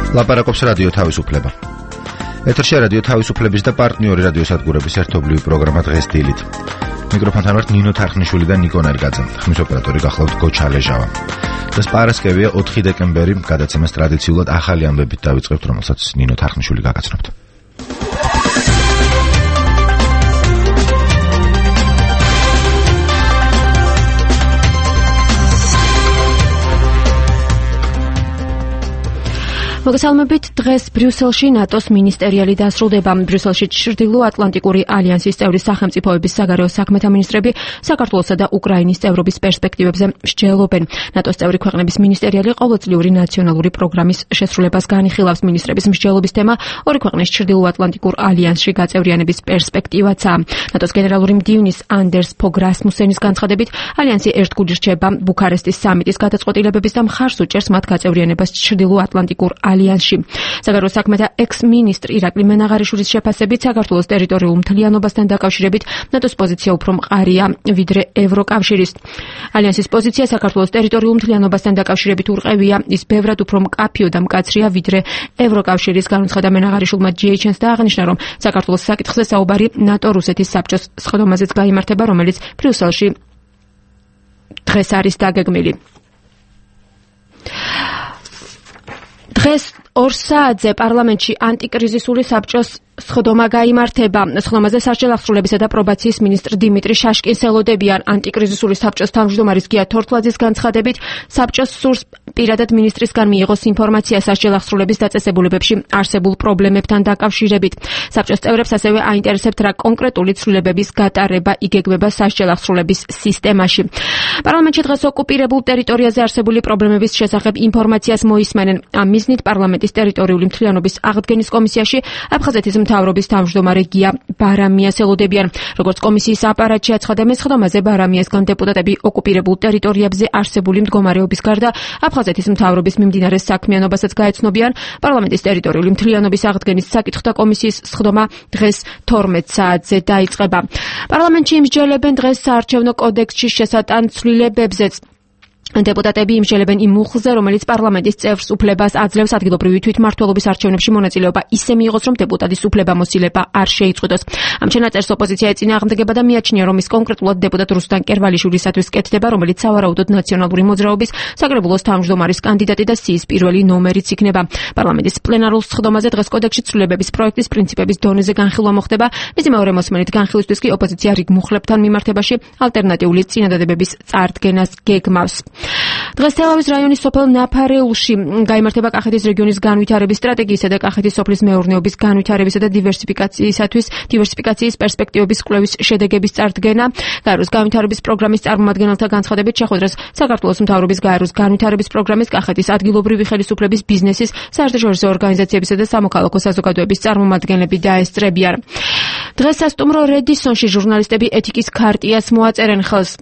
ლაპარაკობს რადიო თავისუფლება. ეთერში რადიო თავისუფლების და პარტნიორი რადიოსადგურების ერთობლივი პროგრამა დღეს დილით. მიკროფონთან ვართ ნინო თარხნიშვილი და ნიკო ნერგაძე. ხმის ოპერატორი გახლავთ გოჩა ლეჟავა. დღეს პარასკევია 4 დეკემბერი, გადაცემას ტრადიციულად ახალი ამბებით დავიწყებთ, რომელსაც ნინო თარხნიშვილი გაგაცნობთ. მოგესალმებით. დღეს ბრიუსელში ნატოს მინისტერიალი დასრულდება. ბრიუსელში ჩრდილო-ატლანტიკური ალიანსის წევრი სახელმწიფოების საგარეო საქმეთა მინისტრები საქართველოსა და უკრაინის წევრობის პერსპექტივებზე მსჯელობენ. ნატოს წევრი ქვეყნების მინისტერიალი ყოველწლიური ნაციონალური პროგრამის შესრულებას განიხილავს. მინისტრების მსჯელობის თემა ორი ქვეყნის ჩრდილო-ატლანტიკურ ალიანსში გაწევრიანების პერსპექტივაცაა. ნატოს გენერალური მდივნის anders Fogh Rasmussenis განცხადებით, ალიანსი ერთგული რჩება ბუქარესტის სამიტის გადაწყვეტილებების და მხარს უჭერს მათ გაწევრიანებას ჩრდილო-ატლანტიკურ ალიანსში. საგარეო საქმეთა ექს-მინისტრი ირაკლი მენაღარიშვილის შეფასებით, საქართველოს ტერიტორიულ მთლიანობასთან დაკავშირებით ნატოს პოზიცია უფრო მყარია ვიდრე ევროკავშირის. ალიანსის პოზიცია საქართველოს ტერიტორიულ მთლიანობასთან დაკავშირებით ურყევია, ის ბევრად უფრო მკაფიო და მკაცრია ვიდრე ევროკავშირის, განუცხადა მენაღარიშვილმა GHN-ს და აღნიშნა, რომ საქართველოს საკითხზე საუბარი ნატო-რუსეთის საბჭოს სხდომაზეც გაიმართება, რომელიც ბრიუსელში დღეს არის დაგეგმილი. დღეს 2 საათზე პარლამენტში ანტიკრიზისული საბჭოს სხდომა გაიმართება. სხდომაზე სასჯელ აღსრულებისა და პრობაციის მინისტრ დიმიტრი შაშკინს ელოდებიან. ანტიკრიზისული საბჭოს თავმჯდომარის გია თორთლაძის განცხადებით, საბჭოს სურს პირადად მინისტრისგან მიიღოს ინფორმაცია სასჯელ აღსრულების დაწესებულებებში არსებულ პრობლემებთან დაკავშირებით. საბჭოს წევრებს ასევე აინტერესებთ, რა კონკრეტული ცვლილებების გატარება იგეგმება სასჯელ აღსრულების სისტემაში. პარლამენტში დღეს ოკუპირებულ ტერიტორიაზე არსებული პრობლემების შესახებ ინფორმაციას მოისმენენ. ამ მიზნით პარლამენტის ტერიტორიული მთლიანობის აღდგენის კომისიაში აფხაზეთის მთავრობის თავმჯდომარე გია ბარამიას ელოდებიან. როგორც კომისიის აპარატში აცხადა, სხდომაზე ბარამიასგან დეპუტატები ოკუპირებულ ტერიტორიებზე არსებული მდგომარეობის გარდა აფხაზეთის მთავრობის მიმდინარე საქმიანობასაც გაეცნობიან. პარლამენტის ტერიტორიული მთლიანობის აღდგენის საკითხთა კომისიის სხდომა დღეს 12 საათზე დაიწყება. პარლამენტში იმსჯელებენ დღეს საარჩევნო კოდექსში შესატან ცვლილებებზეც. დეპუტატები იმსჯელებენ იმ მუხლზე, რომელიც პარლამენტის წევრს უფლებას აძლევს ადგილობრივი თვითმმართველობის არჩევნებში მონაწილეობა ისე მიიღოს, რომ დეპუტატის უფლებამოსილება არ შეიწყვეტოს. ამ ჩანაწერს ოპოზიცია ეწინააღმდეგება და მიაჩნია, რომ ის კონკრეტულად დეპუტატ რუსტან კერვალიშვილისათვის კეთდება, რომელიც სავარაუდოდ ნაციონალური მოძრაობის საკრებულოს თავმჯდომარის კანდიდატი და სიის პირველი ნომერიც იქნება. პარლამენტის პლენარულ სხდომაზე დღეს კოდექსში ცვლილებების პროექტის პრინციპების დონეზე განხილვა მოხდება. მისი მეორე მოსმენით განხილვისთვის კი ოპოზიცია რიგ მუხლებთან მიმართებაში ალტერნატიული წინადადებების წარდგენას გეგმავს. დღეს თელავის რაიონის სოფელ ნაფარეულში გაიმართება კახეთის რეგიონის განვითარების სტრატეგიისა და კახეთის სოფლის მეურნეობის განვითარებისა და დივერსიფიკაციის პერსპექტივების კვლევის შედეგების წარდგენა. გაეროს განვითარების პროგრამის წარმომადგენელთა განცხადებით, შეხვედრას საქართველოს მთავრობის გაეროს განვითარების პროგრამის, კახეთის ადგილობრივი ხელისუფლების, ბიზნესის, საერთაშორისო ორგანიზაციებისა და სამოქალაქო საზოგადოების წარმომადგენლები დაესწრებიან. დღეს სასტუმრო რედისონში ჟურნალისტები ეთიკის ქარტიას მოაწერენ ხელს.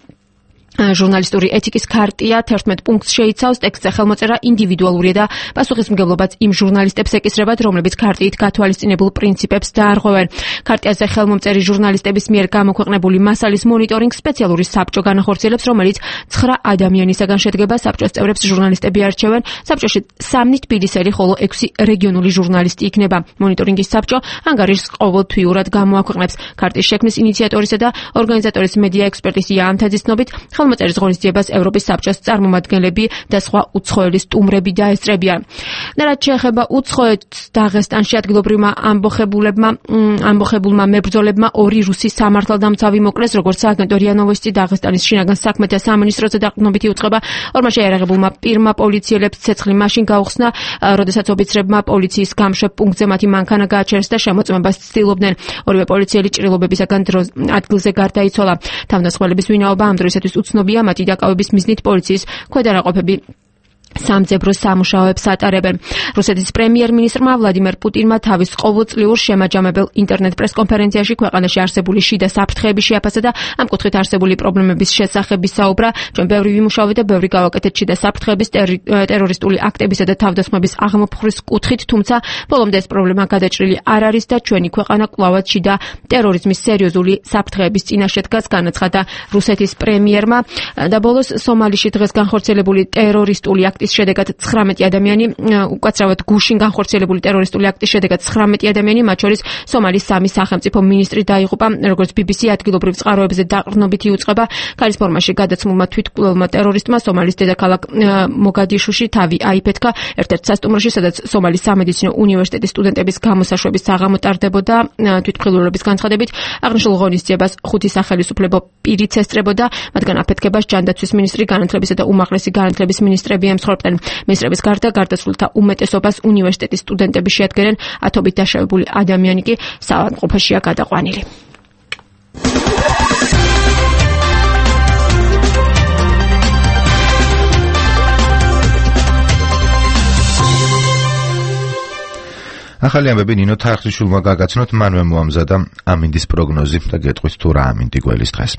ჟურნალისტური ეთიკის ქარტია 11 პუნქტს შეიცავს. ტექსტზე ხელმოწერა ინდივიდუალურია და პასუხისმგებლობაც იმ ჟურნალისტებს ეკისრებათ, რომლებიც ქარტიით გათვალისწინებულ პრინციპებს დაარღვევენ. ქარტიაზე ხელმომწერი ჟურნალისტების მიერ გამოქვეყნებული მასალის მონიტორინგ სპეციალური საბჭო განახორციელებს, რომელიც 9 ადამიანისაგან შედგება. საბჭოს წევრებს ჟურნალისტები არჩევენ. საბჭოში 3 თბილისელი, ხოლო 6 რეგიონული ჟურნალისტი იქნება. მონიტორინგის საბჭო ანგარიშს ყოველთვიურად გამოაქვეყნებს. ქარტიის შექმნის ინიციატორისა და ორგანიზატორის მედია ექსპერტის ია ანთაძის ცნობით, ხელმოწერის ღონისძიებას ევროპის საბჭოს წარმომადგენლები და სხვა უცხოელი სტუმრები დაესწრებიან. რაც შეეხება უცხოეთს, დაღესტანში ადგილობრივმა ამბოხებულმა მებრძოლებმა 2 რუსი სამართალდამცავი მოკლეს, როგორც სააგენტო რია ნოვოსტი დაღესტანის შინაგან საქმეთა სამინისტროზე დაყრდნობითი უწყება. ორმო შეიარაღებულმა პირმა პოლიციელებს ცეცხლი მაშინ გაუხსნა, როდესაც ოფიცრებმა პოლიციის გამშვებ პუნქტზე მათი მანქანა გააჩერეს და შემოწმებას ცდილობდნენ. ორივე პოლიციელი ჭრილობებისაგან ადგილზე გარდაიცვალა. თავდასხმელების ვინაობა ამ დროისათვის უცნობია. მათი დაკავების მიზნით პოლიციის ქვედანაყოფები სამძებრო სამუშაოებს ატარებენ. რუსეთის პრემიერ-მინისტრმა ვლადიმერ პუტინმა თავის ყოველწლიურ შემაჯამებელ ინტერნეტ პრესკონფერენციაში ქვეყანაში არსებული შიდა საფრთხეების შეაფასა და ამ კუთხით არსებული პრობლემების შესახებ ისაუბრა. ჩვენ ბევრი ვიმუშავეთ და ბევრი გავაკეთეთ შიდა საფრთხეების, ტერორისტული აქტებისა და თავდასხმების აღმოფხვრის კუთხით, თუმცა ბოლომდე ეს პრობლემა გადაჭრილი არ არის და ჩვენი ქვეყანა კვლავაც შიდა ტერორიზმის სერიოზული საფრთხეების წინაშე დგას, განაცხადა რუსეთის პრემიერმა. და ბოლოს სომალიში დღეს განხორციელებული ტერორისტული აქტის აქტის შედეგად 19 ადამიანი უკაცრავად გუშინ განხორციელებული ტერორისტული აქტის შედეგად 19 ადამიანი, მათ შორის სომალის 3 სახელმწიფო მინისტრი დაიღუპა, როგორც BBC ადგილობრივ წყაროებზე დაყრდნობითი უწყება ქალის ფორმაში გადაცმულმა თვითმკვლელმა ტერორისტმა სომალის დედაქალაქ მოგადიშუში თავი აიფეთქა ერთ-ერთ სასტუმროში, სადაც სომალის სამედიცინო უნივერსიტეტის სტუდენტების გამოსაშვების საღამო ტარდებოდა. თვითმკვლელობის განცხადებით აღნიშნულ ღონისძიებას 5 სახელმწიფო პირიც ესწრებოდა, მათგან აფეთქებას ჯანდაცვის მინისტრი, განათლებისა და უმაღლესი განათლების მინისტრები ემსხვერპლენ. მინისტრების გარდა გარდაცვლილთა უმეტესობას უნივერსიტეტის სტუდენტები შეადგენენ, 10-ობით დაშავებული ადამიანი კი საავადმყოფოშია გადაყვანილი. ახალი ამბები ნინო თარხნიშვილმა გაგაცნოთ, მანვე მოამზადა ამინდის პროგნოზი და გეტყვით თუ რა ამინდი გველის დღეს.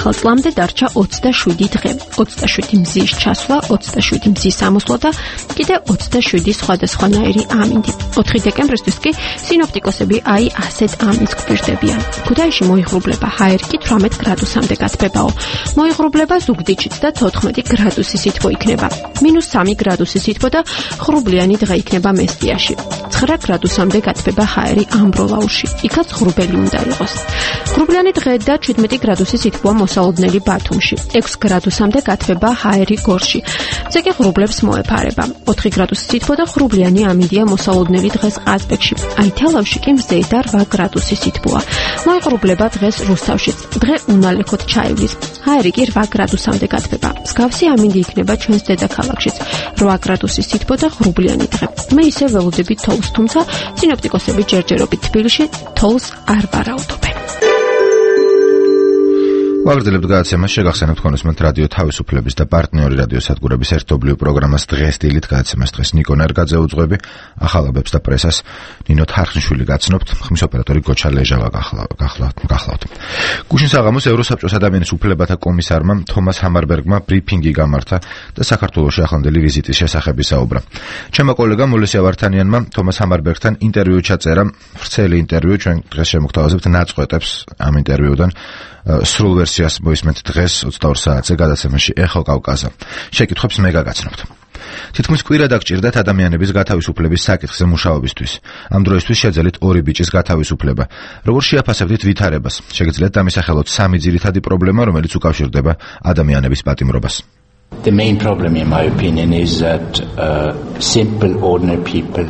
ახალ წლამდე დარჩა 27 დღე, 27 მზის ჩასვლა, 27 მზის ამოსვლა და კიდე 27 სხვადასხვანაირი ამინდი. 4 დეკემბრისთვის კი სინოპტიკოსები ასეთ ამინდს გვერდებიან. ქუთაისში მოიღრუბლება, ჰაერკი 18 გრადუსამდე გათბებაო. მოიღრუბლება ზუგდიდშიც და 14 გრადუსი სითბო იქნება. -3 გრადუსი სითბო და ღრუბლიანი დღე იქნება მესტიაში. 9 გრადუსამდე გათბება ჰაერი ამბროლაურში. იქაც ღრუბელი უნდა იყოს. ღრუბლიანი დღე და 17 გრადუსი სითბოა მოსალოდნელი ბათუმში. 6 გრადუსამდე გათბება ჰაერი გორში. ზეგი ღრუბლებს მოეფარება. 4 გრადუსი სითბო და ღრუბლიანი ამინდია მოსალოდნელი დღეს ყაზბეგში. თელავში კი მზედა 8 გრადუსი სითბოა. მოიღრუბლება დღეს რუსთავშიც. დღე უნალექოდ ჩაივლის. ჰაერი კი 8 გრადუსამდე გათბება. მსგავსი ამინდი იქნება ჩვენს დედაქალაქშიც. 8 გრადუსი სითბო და ღრუბლიანი დღე. მე ისე ველოდები თოვლს, თუმცა სინოპტიკოსები ჯერჯერობით თბილისში თოვლს არ ვარაუდობენ. ვაგრძელებთ გადაცემას, შეგახსენებთ კონსმენტ რადიო თავისუფლების და პარტნიორი რადიო სადგურების ერთობლივ პროგრამას დღეს დილით გადაცემას დღეს ნიკო ნერგაძე უძღვები, ახალობებს და პრესას ნინო თარხნიშვილი გაცნობთ, ხმის ოპერატორი გოჩა ლეჟავა გახლავთ. გუშინ საღამოს ევროსაბჭოს ადამიანის უფლებათა კომისარმა თომას ჰამარბერგმა ბრიფინგი გამართა და საქართველოში ახლანდელი ვიზიტის შესახებ ისაუბრა. ჩემო კოლეგამ მოლესია ვართანიანმა თომას ჰამარბერგთან ინტერვიუ ჩაწერა, ვრცელი ინტერვიუ, ჩვენ დღეს შემოგთავაზებთ ნაწყვეტებს ამ ინტერვიუდან. სრულ ვერსიას მოისმენთ დღეს 22 საათზე გადაცემაში ეხო კავკაზა. შეკითხვებს მე გაგაცნობთ. თითქმის კვირა დაგჭირდათ ადამიანების გათავისუფლების საკითხზე მუშაობისთვის. ამ დროისთვის შეძელით 2 ბიჭის გათავისუფლება. როგორ შეაფასებდით ვითარებას? შეგიძლიათ დამისახელოთ 3 ძირითადი პრობლემა, რომელიც უკავშირდება ადამიანების პატიმრობას. The main problem in my opinion is that simple ordinary people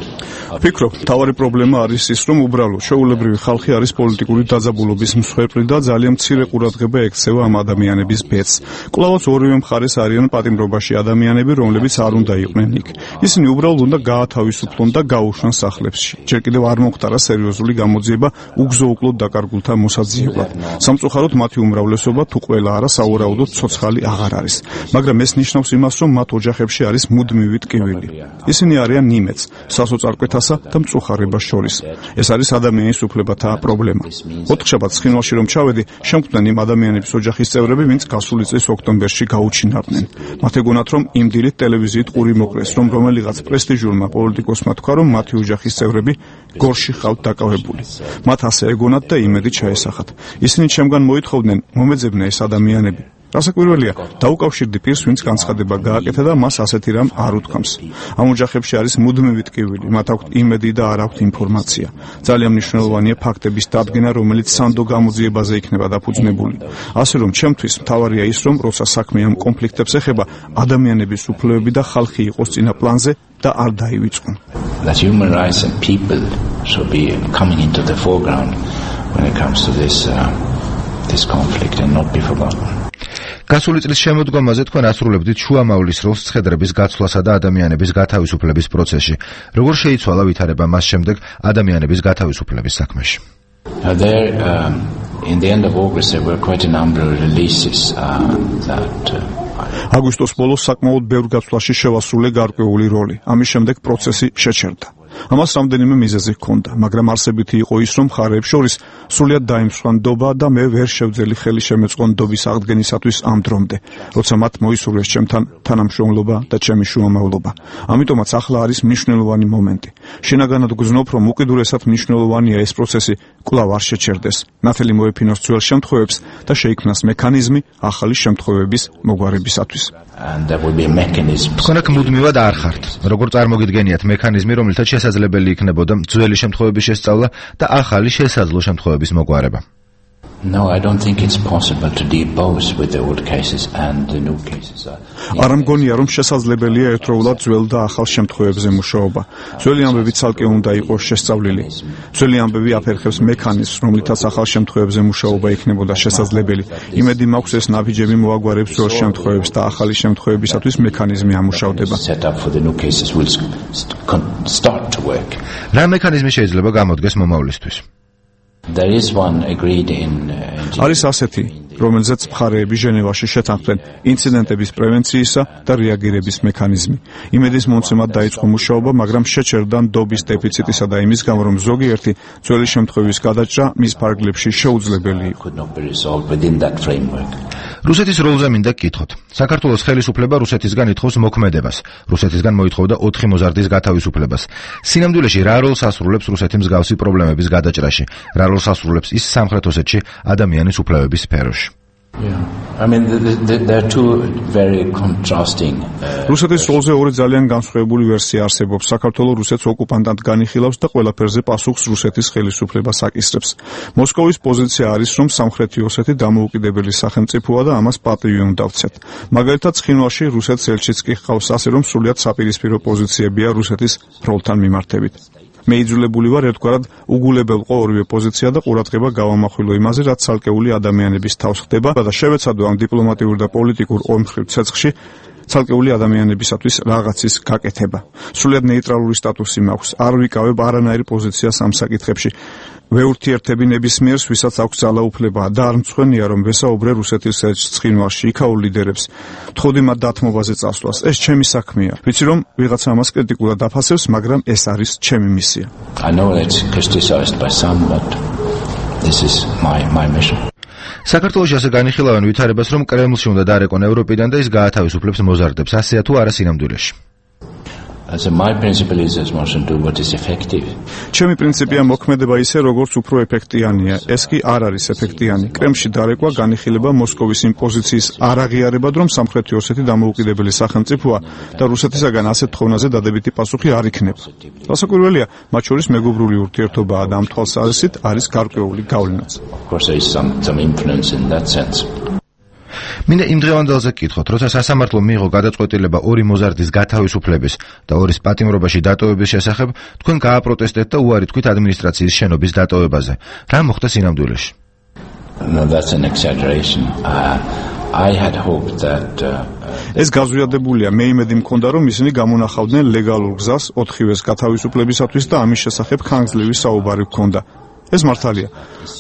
ვფიქრობ, მთავარი პრობლემა არის ის, რომ უბრალო შეუულებრივი ხალხი არის პოლიტიკური დაძაბულობის მსხვერპლი და ძალიან მცირე ყურადღება ექცევა ამ ადამიანების ბედს. კვლავაც ორივე მხარეს არიან პატიმრობაში ადამიანები, რომლებიც არ უნდა იყვნენ იქ. ისინი უბრალოდ უნდა გაათავისუფლონ და გაუშვან სახლებში. ჯერ კიდევ არ მოხდარა სერიოზული გამოძიება უგზო-უკლოდ დაკარგულთა მოსაძიებლად. სამწუხაროდ მათი უმრავლესობა თუ ყველა არა, საუბრალოდ ცოცხალი აღარ არის. მაგრამ ეს ნიშნავს იმას, რომ მათ ოჯახებში არის მუდმივი ტკივილი. ისინი არიან ნიმეც, სასოწარკვეთა და მწუხარებას შორის. ეს არის ადამიანის უფლებათა პრობლემა. ოთხშაბათს ცხინვალში რომ ჩავედი, შემკვდნენ იმ ადამიანების ოჯახის წევრები, ვინც გასული წლის ოქტომბერში გაუჩინარდნენ. მათ ეგონათ, რომ იმ დილით ტელევიზიით ყური მოკრეს, რომ რომელიღაც პრესტიჟულმა პოლიტიკოსმა თქვა, რომ მათი ოჯახის წევრები გორში ხავთ დაკავებული. მათ ასე ეგონათ და იმედი ჩაესახათ. ისინი ჩემგან მოითხოვდნენ, მომეძებნა ეს ადამიანები. რასაკვირველია, დაუკავშირდი პირს, ვინც განცხადება გააკეთა და მას ასეთი რამ არ უთქვამს. ამ ოჯახებში არის მუდმივი ტკივილი, მათ აქვთ იმედი და არ აქვთ ინფორმაცია. ძალიან მნიშვნელოვანია ფაქტების დადგენა, რომელიც სანდო გამოძიებაზე იქნება დაფუძნებული. ასე რომ, ჩემთვის მთავარია ის, რომ როცა საქმე ამ კონფლიქტებს ეხება, ადამიანების უფლებები და ხალხი იყოს წინა პლანზე და არ დაივიწყონ. That human rights and people should be coming into the foreground when it comes to this conflict and not be forgotten. გასული წლის შემოდგომაზე თქვენ ასრულებდით შუამავლის როლს ცხედრების გაცვლასა და ადამიანების გათავისუფლების პროცესში. როგორ შეიცვალა ვითარება მას შემდეგ ადამიანების გათავისუფლების საქმეში? In the end of August there were quite a number of releases that აგვისტოს ბოლოს საკმაოდ ბევრ გაცვლაში შევასრულე გარკვეული როლი. ამის შემდეგ პროცესი შეჩერდა. ამას რამდენიმე მიზეზი ჰქონდა, მაგრამ არსებითი იყო ის, რომ მხარეებს შორის სრულიად დაიმსხვრა ნდობა და მე ვერ შევძელი ხელი შემეწყო ნდობის აღდგენისათვის ამ დრომდე, როცა მათ მოისურვეს ჩემთან თანამშრომლობა და ჩემი შუამავლობა. ამიტომაც ახლა არის მნიშვნელოვანი მომენტი. შინაგანად გრძნობ, რომ უკიდურესად მნიშვნელოვანია ეს პროცესი კვლავ არ შეჩერდეს, ნათელი მოეფინოს ძველ შემთხვევებს და შეიქმნას მექანიზმი ახალი შემთხვევების მოგვარებისათვის. თქვენ აქ მუდმივად არ ხართ. როგორ წარმოგიდგენიათ მექანიზმი, რომელთაც შესაძლებელი იქნებოდა ძველი შემთხვევების შესწავლა და ახალი შესაძლო შემთხვევების მოგვარება? No, I don't think it's possible to deal both with the old cases and the new cases. არ მგონია, რომ შესაძლებელია ერთდროულად ძველ და ახალ შემთხვევებზე მუშაობა. ძველი ამბები ცალკე უნდა იყოს შესწავლილი. ძველი ამბები აფერხებს მექანიზმს, რომლითაც ახალ შემთხვევებზე მუშაობა იქნებოდა შესაძლებელი. იმედი მაქვს, ეს ნაბიჯები მოაგვარებს ძველ შემთხვევებს და ახალი შემთხვევებისათვის მექანიზმი ამუშავდება. რა მექანიზმი შეიძლება გამოდგეს მომავლისთვის? There is one agreed in არის ასეთი, რომელზეც მხარეები ჟენევაში შეთანხმდნენ ინციდენტების პრევენციისა და რეაგირების მექანიზმი. იმედის მომცემად დაიწყო მუშაობა, მაგრამ შეჩერდა ნდობის დეფიციტისა და იმის გამო, რომ ზოგიერთი ძველი შემთხვევის გადაჭრა მის ფარგლებში შეუძლებელი იყო. რუსეთის როლზე მინდა გკითხოთ. საქართველოს ხელისუფლება რუსეთისგან ითხოვს მოქმედებას. რუსეთისგან მოითხოვდა 4 მოზარდის გათავისუფლებას. სინამდვილეში რა როლს ასრულებს რუსეთი მსგავსი პრობლემების გადაჭრაში? რა როლს ასრულებს ის სამხრეთ ოსეთში ადამიანის უფლებების სფეროში? I mean, there are two very contrasting. რუსეთის როლზე ორი ძალიან განსხვავებული ვერსია არსებობს. საქართველოს რუსეთს ოკუპანტად განიხილავს და ყველაფერზე პასუხს რუსეთის ხელისუფლებას აკისრებს. მოსკოვის პოზიცია არის, რომ სამხრეთი ოსეთი დამოუკიდებელი სახელმწიფოა და ამას პატივი უნდა ვცეთ. მაგალითად, ცხინვალში რუსეთს ელჩიც კი ჰყავს, ასე რომ სრულიად საპირისპირო პოზიციებია რუსეთის როლთან მიმართებით. მე იძულებული ვარ ერთგვარად უგულებელყო ორივე პოზიცია და ყურადღება გავამახვილო იმაზე, რაც ცალკეული ადამიანების თავს ხდება და შევეცადო ამ დიპლომატიურ და პოლიტიკურ ორმხრივ ცეცხლში ცალკეული ადამიანებისათვის რაღაცის გაკეთება. სრულიად ნეიტრალური სტატუსი მაქვს. არ ვიკავებ არანაირ პოზიციას ამ საკითხებში. ვეურთიერთები ნებისმიერს, ვისაც აქვს ძალაუფლება და არ მწვენია, რომ ვესაუბრე რუსეთის ელჩს ცხინვალში, იქაურ ლიდერებს. ვთხოვდი მათ დათმობაზე წასვლას. ეს ჩემი საქმეა. ვიცი, რომ ვიღაცა ამას კრიტიკულად აფასებს, მაგრამ ეს არის ჩემი მისია. I know it's criticized by some, but this is my mission. საქართველოში ასე განიხილავენ ვითარებას, რომ კრემლში უნდა დარეკონ ევროპიდან და ის გაათავისუფლებს მოზარდებს. ასეა თუ არა სინამდვილეში? My principle is as much to do what is effective. ჩემი პრინციპია მოქმედება ისე, როგორც უფრო ეფექტიანია. ეს კი არ არის ეფექტიანი. კრემლში დარეკვა განიხილება მოსკოვის იმ პოზიციის არაღიარებად, რომ სამხრეთი ოსეთი დამოუკიდებელი სახელმწიფოა და რუსეთისაგან ასეთ თხოვნაზე დადებითი პასუხი არ იქნება. დასაკვირველია, მათ შორის მეგობრული ურთიერთობაა და ამ თვალსაზრისით არის გარკვეული გავლენაც. Of course, there is some influence in that sense. მინდა იმ დღევანდელზე გკითხოთ, როცა სასამართლო მიიღო გადაწყვეტილება 2 მოზარდის გათავისუფლების და 2-ის პატიმრობაში დატოვების შესახებ, თქვენ გააპროტესტეთ და უარი თქვით ადმინისტრაციის შენობის დატოვებაზე. რა მოხდა სინამდვილეში? No, that's an exaggeration. I had hoped that ეს გაზვიადებულია. მე იმედი მქონდა, რომ ისინი გამონახავდნენ ლეგალურ გზას 4-ის გათავისუფლებისათვის და ამის შესახებ ხანგრძლივი საუბარი ჰქონდა. ეს მართალია.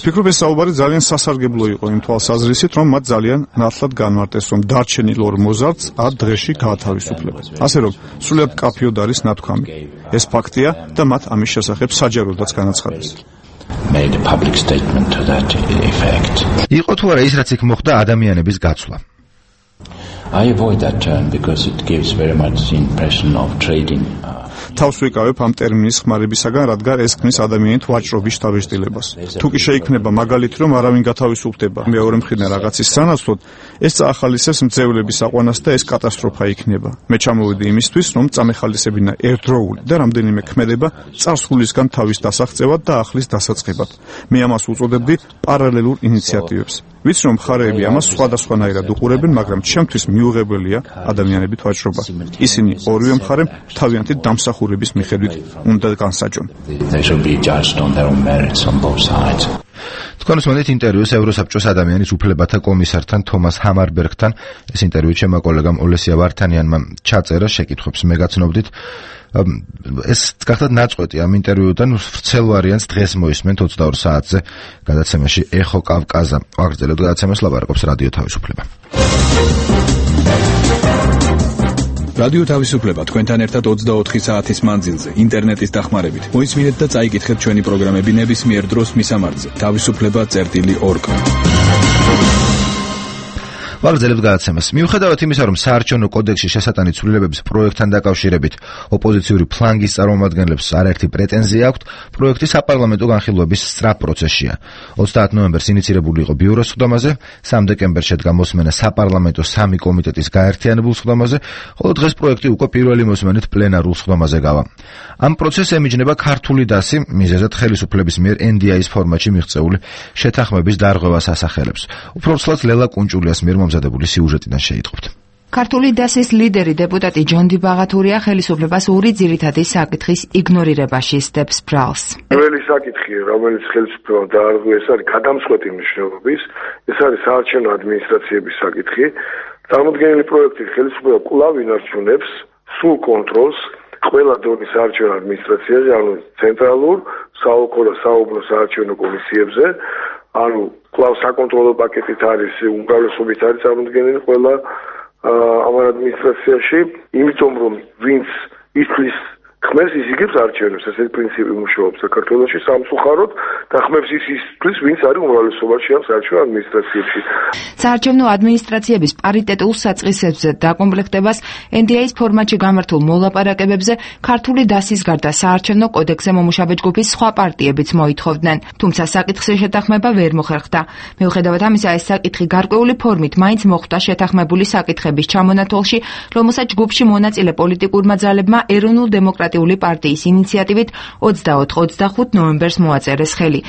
ფიქრობ, ეს საუბარი ძალიან სასარგებლო იყო იმ თვალსაზრისით, რომ მათ ძალიან ნათლად განმარტეს, რომ დარჩენილ 2 მოზარდს 10 დღეში გაათავისუფლებენ. ასე რომ, სრულიად კაფიოდ არის ნათქვამი. ეს ფაქტია და მათ ამის შესახებ საჯაროდაც განაცხადეს. made a public statement to that effect. იყო თუ არა ის, რაც იქ მოხდა ადამიანების გაცვლა? I avoid that term because it gives very much the impression of trading. თავს ვიკავებ ამ ტერმინის ხმარებისაგან, რადგან ეს ქმნის ადამიანით ვაჭრობის შთაბეჭდილებას. თუ კი შეიქმნება მაგალითი, რომ არავინ გათავისუფლდება მეორე მხრიდან რაღაცის სანაცვლოდ, ეს წაახალისებს მძევლების აყვანას და ეს კატასტროფა იქნება. მე ჩამოვედი იმისთვის, რომ წამეხალისებინა ერთდროული და რამდენიმე ქმედება წარსულისგან თავის დასაღწევად და ახლის დასაწყებად. მე ამას უწოდებდი პარალელურ ინიციატივებს. ვიცი, რომ მხარეები ამას სხვადასხვანაირად უყურებენ, მაგრამ ჩემთვის მიუღებელია ადამიანებით ვაჭრობა. ისინი ორივე მხარემ თავიანთი დამსახურების მიხედვით უნდა განსაჯონ. They should be judged on their own merits on both sides. თქვენ უსმენთ ინტერვიუს ევროსაბჭოს ადამიანის უფლებათა კომისართან თომას ჰამარბერგთან. ეს ინტერვიუ ჩემმა კოლეგამ ოლესია ვართანიანმა ჩაწერა, შეკითხვებს მე გაცნობდით. ეს გახდათ ნაწყვეტი ამ ინტერვიუდან, ვრცელ ვარიანტს დღეს მოისმენთ 22 საათზე გადაცემაში ეხო კავკაზა. აგრძელებთ გადაცემას, ლაპარაკობს რადიო თავისუფლება. რადიო თავისუფლება თქვენთან ერთად 24 საათის მანძილზე ინტერნეტის დახმარებით. მოისმინეთ და წაიკითხეთ ჩვენი პროგრამები ნებისმიერ დროს მისამართზე. თავისუფლება.org. ვაგრძელებთ გადაცემას. მიუხედავად იმისა, რომ საარჩევნო კოდექსში შესატანი ცვლილებების პროექტთან დაკავშირებით ოპოზიციური ფლანგის წარმომადგენლებს არაერთი პრეტენზია აქვთ, პროექტი საპარლამენტო განხილვების სწრაფ პროცესშია. 30 ნოემბერს ინიცირებული იყო ბიუროს სხდომაზე, 3 დეკემბერს შედგა მოსმენა საპარლამენტო 3 კომიტეტის გაერთიანებულ სხდომაზე, ხოლო დღეს პროექტი უკვე პირველი მოსმენით პლენარულ სხდომაზე გავა. ამ პროცესს ემიჯნება ქართული დასი, მიზეზად ხელისუფლების მიერ NDI-ის ფორმატში მიღწეული შეთანხმების დარღვევას ასახელებს. უფრო ცლად ლელა კუნჭულიას მიერ მომზადებული სიუჟეტიდან შეიტყობთ. ქართული დასის ლიდერი დეპუტატი ჯონდი ბაღათურია ხელისუფლებას ორი ძირითადი საკითხის იგნორირებაში სდებს ბრალს. პირველი საკითხი, რომელიც ხელისუფლებამ დაარღვია, ეს არის გადამწყვეტი მნიშვნელობის, ეს არის საარჩევნო ადმინისტრაციების საკითხი. წარმოდგენილი პროექტი ხელისუფლება კვლავ ინარჩუნებს სრულ კონტროლს ყველა დონის საარჩევნო ადმინისტრაციაზე, ანუ ცენტრალურ, საოლქო და საუბნო საარჩევნო კომისიებზე, ანუ კვლავ საკონტროლო პაკეტით არის, უმრავლესობით არის წარმოდგენილი ყველა ამ ადმინისტრაციაში, იმიტომ რომ ვინც ითვლის ხმებს ის იგებს არჩევნებს, ესეთი პრინციპი მუშაობს საქართველოში სამწუხაროდ და ხმებს ის ითვლის, ვინც არის უმრავლესობაში ამ საარჩევნო ადმინისტრაციებში. საარჩევნო ადმინისტრაციების პარიტეტულ საწყისებზე დაკომპლექტებას NDI-ის ფორმატში გამართულ მოლაპარაკებებზე ქართული დასის გარდა საარჩევნო კოდექსზე მომუშავე ჯგუფის სხვა პარტიებიც მოითხოვდნენ, თუმცა საკითხზე შეთანხმება ვერ მოხერხდა. მიუხედავად ამისა, ეს საკითხი გარკვეული ფორმით მაინც მოხვდა შეთანხმებული საკითხების ჩამონათვალში, რომელსაც ჯგუფში მონაწილე პოლიტიკურმა ძალებმა ეროვნულ დემოკრატიული პარტიის ინიციატივით 24-25 ნოემბერს მოაწერეს ხელი.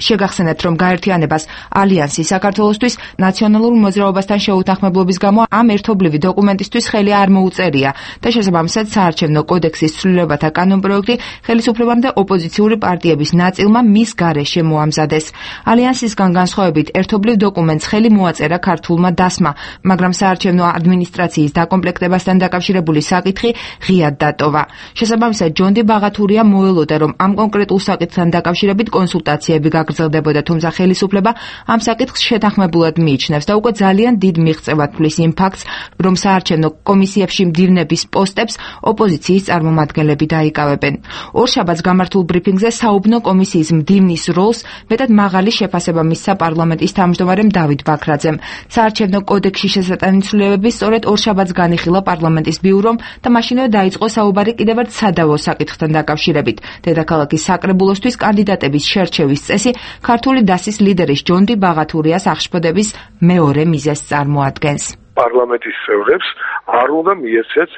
შეგახსენებთ, რომ გაერთიანებას ალიანსი საქართველოსთვის ნაციონალურ მოძრაობასთან შეუთანხმებლობის გამო ამ ერთობლივი დოკუმენტისთვის ხელი არ მოუწერია და შესაბამისად საარჩევნო კოდექსის ცვლილებათა კანონპროექტი ხელისუფლებამ და ოპოზიციური პარტიების ნაწილმა მის გარეშე მოამზადეს. ალიანსისგან განსხვავებით ერთობლივ დოკუმენტს ხელი მოაწერა ქართულმა დასმა, მაგრამ საარჩევნო ადმინისტრაციის დაკომპლექტებასთან დაკავშირებული საკითხი ღიად დატოვა. შესაბამისად ჯონდი ბაღათურია მოელოდა, რომ ამ კონკრეტულ საკითხთან დაკავშირებით კონსულტაციები გაგრძელდებოდა, თუმცა ხელისუფლება ამ საკითხს შეთანხმებულად მიიჩნევს და უკვე ძალიან დიდ მიღწევად თვლის იმ ფაქტს, რომ საარჩევნო კომისიებში მდივნების პოსტებს ოპოზიციის წარმომადგენლები დაიკავებენ. ორშაბათს გამართულ ბრიფინგზე საუბნო კომისიის მდივნის როლს მეტად მაღალი შეფასება მისცა პარლამენტის თავმჯდომარემ დავით ბაქრაძემ. საარჩევნო კოდექსში შესატანი ცვლილებები სწორედ ორშაბათს განიხილა პარლამენტის ბიურომ და მაშინვე დაიწყო საუბარი კიდევ ერთ სადავო საკითხთან დაკავშირებით. დედაქალაქის საკრებულოსთვის კანდიდატების შერჩევის წესი ქართული დასის ლიდერის ჯონდი ბაღათურიას აღშფოთების მეორე მიზეზს წარმოადგენს. პარლამენტის წევრებს არ უნდა მიეცეთ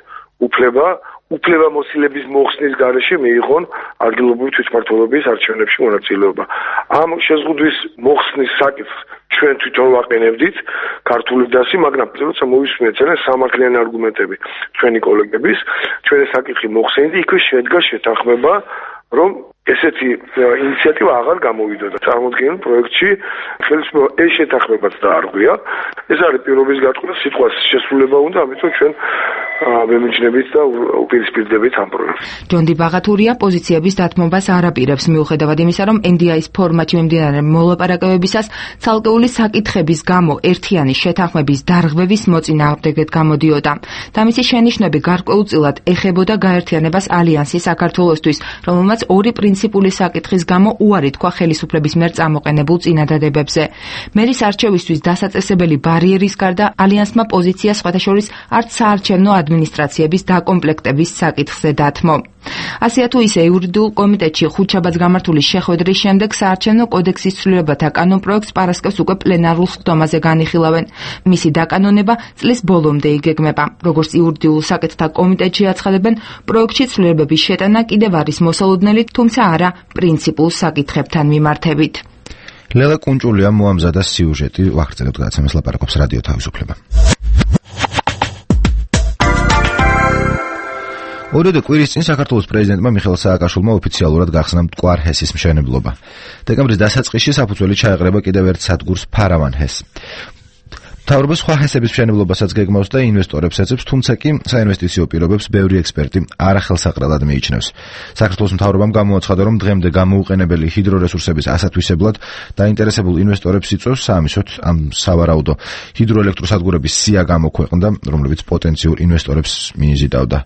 უფლებამოსილების მოხსნის გარეშე მიიღონ ადგილობრივი თვითმმართველობის არჩევნებში მონაწილეობა. ამ შეზღუდვის მოხსნის საკითხს ჩვენ თვითონ ვაყენებდით ქართული დასი, მაგრამ როცა მოვისმენთ სამართლიანი არგუმენტები ჩვენი კოლეგების, ჩვენი საკითხი მოხსენდა, იქვე შედგა შეთანხმება, რომ ესეთი ინიციატივა აღარ გამოვიდოდა წარმოდგენილ პროექტში. ხელისუფლება ეს შეთანხმებაც დაარღვია. ეს არის პირობის გაწყვეტა, სიტყვას შესრულება უნდა, ამიტომ ჩვენ ვემიჯნებით და უპირისპირდებით ამ პროექტს. ჯონდი ბაღათურია პოზიციების დათმობას არ აპირებს, მიუხედავად იმისა, რომ NDI-ის ფორმატში მიმდინარე მოლაპარაკებებისას ცალკეული საკითხების გამო ერთიანი შეთანხმების დარღვევის მოწინააღმდეგედ გამოდიოდა. და მისი შენიშვნები გარკვეულწილად ეხებოდა გაერთიანებას ალიანსი საქართველოსთვის, რომელმაც ორი პრინციპული საკითხის გამო უარი თქვა ხელისუფლების მიერ წამოყენებულ წინადადებებზე. მერის არჩევისთვის დასაწესებელი ბარიერის გარდა ალიანსმა პოზიცია სხვათაშორის არც საარჩევნო ადმინისტრაციების დაკომპლექტების საკითხზე დათმო. ასეა თუ ისე იურიდიულ კომიტეტში ხუთშაბათს გამართული შეხვედრის შემდეგ საარჩევნო კოდექსის ცვლილებათა კანონპროექტს პარასკევს უკვე პლენარულ სხდომაზე განიხილავენ. მისი დაკანონება წლის ბოლომდე იგეგმება. როგორც იურიდიულ საკითხთა კომიტეტში აცხადებენ, პროექტში ცვლილებების შეტანა კიდევ არის მოსალოდნელი, თუმცა არა პრინციპულ საკითხებთან მიმართებით. ლელა კუნჭულიამ მოამზადა სიუჟეტი, ვახერხებთ გადაცემას ლაპარაკობს რადიო თავისუფლება. ორიოდე კვირის წინ საქართველოს პრეზიდენტმა მიხეილ სააკაშვილმა ოფიციალურად გახსნა მტკვარ ჰესის მშენებლობა. დეკემბრის დასაწყისში საფუძველი ჩაეყრება კიდევ ერთ სადგურს ფარავან ჰეს. მთავრობა სხვა ჰესების მშენებლობასაც გეგმავს და ინვესტორებს ეძებს, თუმცა კი საინვესტიციო პირობებს ბევრი ექსპერტი არახელსაყრელად მიიჩნევს. საქართველოს მთავრობამ გამოაცხადა, რომ დღემდე გამოუყენებელი ჰიდრორესურსების ასათვისებლად დაინტერესებულ ინვესტორებს იწვევს საამისოდ ამ სავარაუდო ჰიდროელექტროსადგურების სია გამოქვეყნდა, რომლებიც პოტენციურ ინვესტორებს მიიზიდავდა.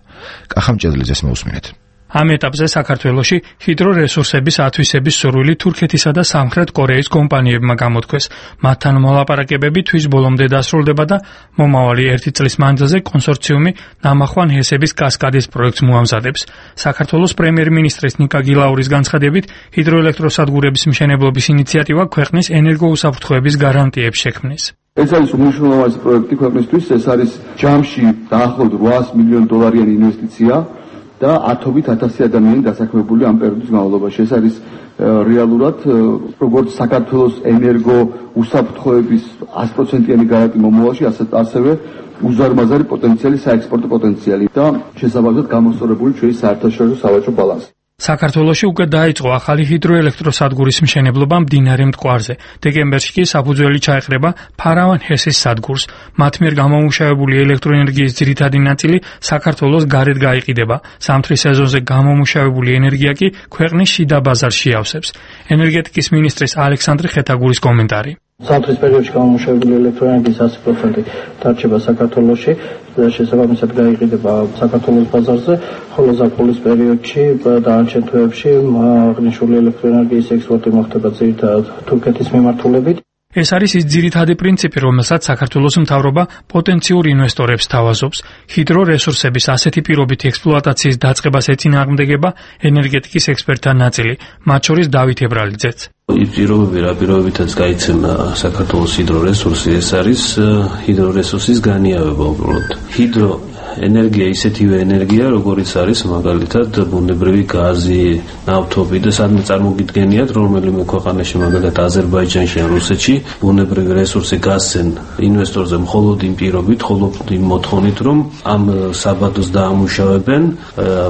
კახამ ჭედლიძეს მოусმინეთ. ამ ეტაპზე საქართველოში ჰიდრორესურსების ათვისების სურვილი თურქეთისა და სამხრეთ კორეის კომპანიებმა გამოთქვეს. მათთან მოლაპარაკებები თვის ბოლომდე დასრულდება და მომავალი 1 წლის მანძილზე კონსორციუმი ნამახვან ჰესების კასკადის პროექტს მოამზადებს. საქართველოს პრემიერ-მინისტრის ნიკა გილაურის განცხადებით, ჰიდროელექტროსადგურების მშენებლობის ინიციატივა ქვეყნის ენერგოუსაფრთხოების გარანტიებს შექმნის. ეს არის უმნიშვნელოვანესი პროექტი ქვეყნისთვის, ეს არის ჯამში დაახლოებით $800 მილიონ ინვესტიცია. და 10,000 ადამიანი დასაქმებული ამ პერიოდის განმავლობაში. ეს არის რეალურად როგორც საქართველოს ენერგო უსაფრთხოების 100%-იანი გარანტი მომავალში, ასევე უზარმაზარი პოტენციალი, საექსპორტო პოტენციალი და შესაბამისად გამოსწორებული ჩვენი საერთაშორისო სავაჭრო ბალანსი. საქართველოში უკვე დაიწყო ახალი ჰიდროელექტროსადგურის მშენებლობა მდინარე მტკვარზე. დეკემბერში კი საფუძველი ჩაეყრება ფარავან ჰესის სადგურს. მათ მიერ გამომუშავებული ელექტროენერგიის ძირითადი ნაწილი საქართველოს გარეთ გაიყიდება. ზამთრის სეზონზე გამომუშავებული ენერგია კი ქვეყნის შიდა ბაზარში ავსებს. ენერგეტიკის მინისტრის ალექსანდრე ხეთაგურის კომენტარი. ზამთრის პერიოდში გამომუშავებული ელექტროენერგიის 100% დარჩება საქართველოში და შესაბამისად გაიყიდება საქართველოს ბაზარზე, ხოლო ზაფხულის პერიოდში დანარჩენ თვეებში აღნიშნული ელექტროენერგიის ექსპორტი მოხდება ძირითადად თურქეთის მიმართულებით. ეს არის ის ძირითადი პრინციპი, რომელსაც საქართველოს მთავრობა პოტენციურ ინვესტორებს თავაზობს. ჰიდრორესურსების ასეთი პირობითი ექსპლუატაციის დაწყებას ეწინააღმდეგება ენერგეტიკის ექსპერტთა ნაწილი, მათ შორის დავით ებრალიძეც. ის პირობები, რა პირობითაც გაიცემა საქართველოს ჰიდრორესურსი, ეს არის ჰიდრორესურსის განიავება უბრალოდ. ენერგია ისეთივე ენერგია, როგორიც არის მაგალითად ბუნებრივი გაზი, ნავთობი და სადმე წარმოგიდგენიათ, რომელიმე ქვეყანაში, მაგალითად აზერბაიჯანში ან რუსეთში, ბუნებრივი რესურსი გასცენ ინვესტორზე მხოლოდ იმ პირობით, მხოლოდ იმ მოთხოვნით, რომ ამ საბადოს დაამუშავებენ,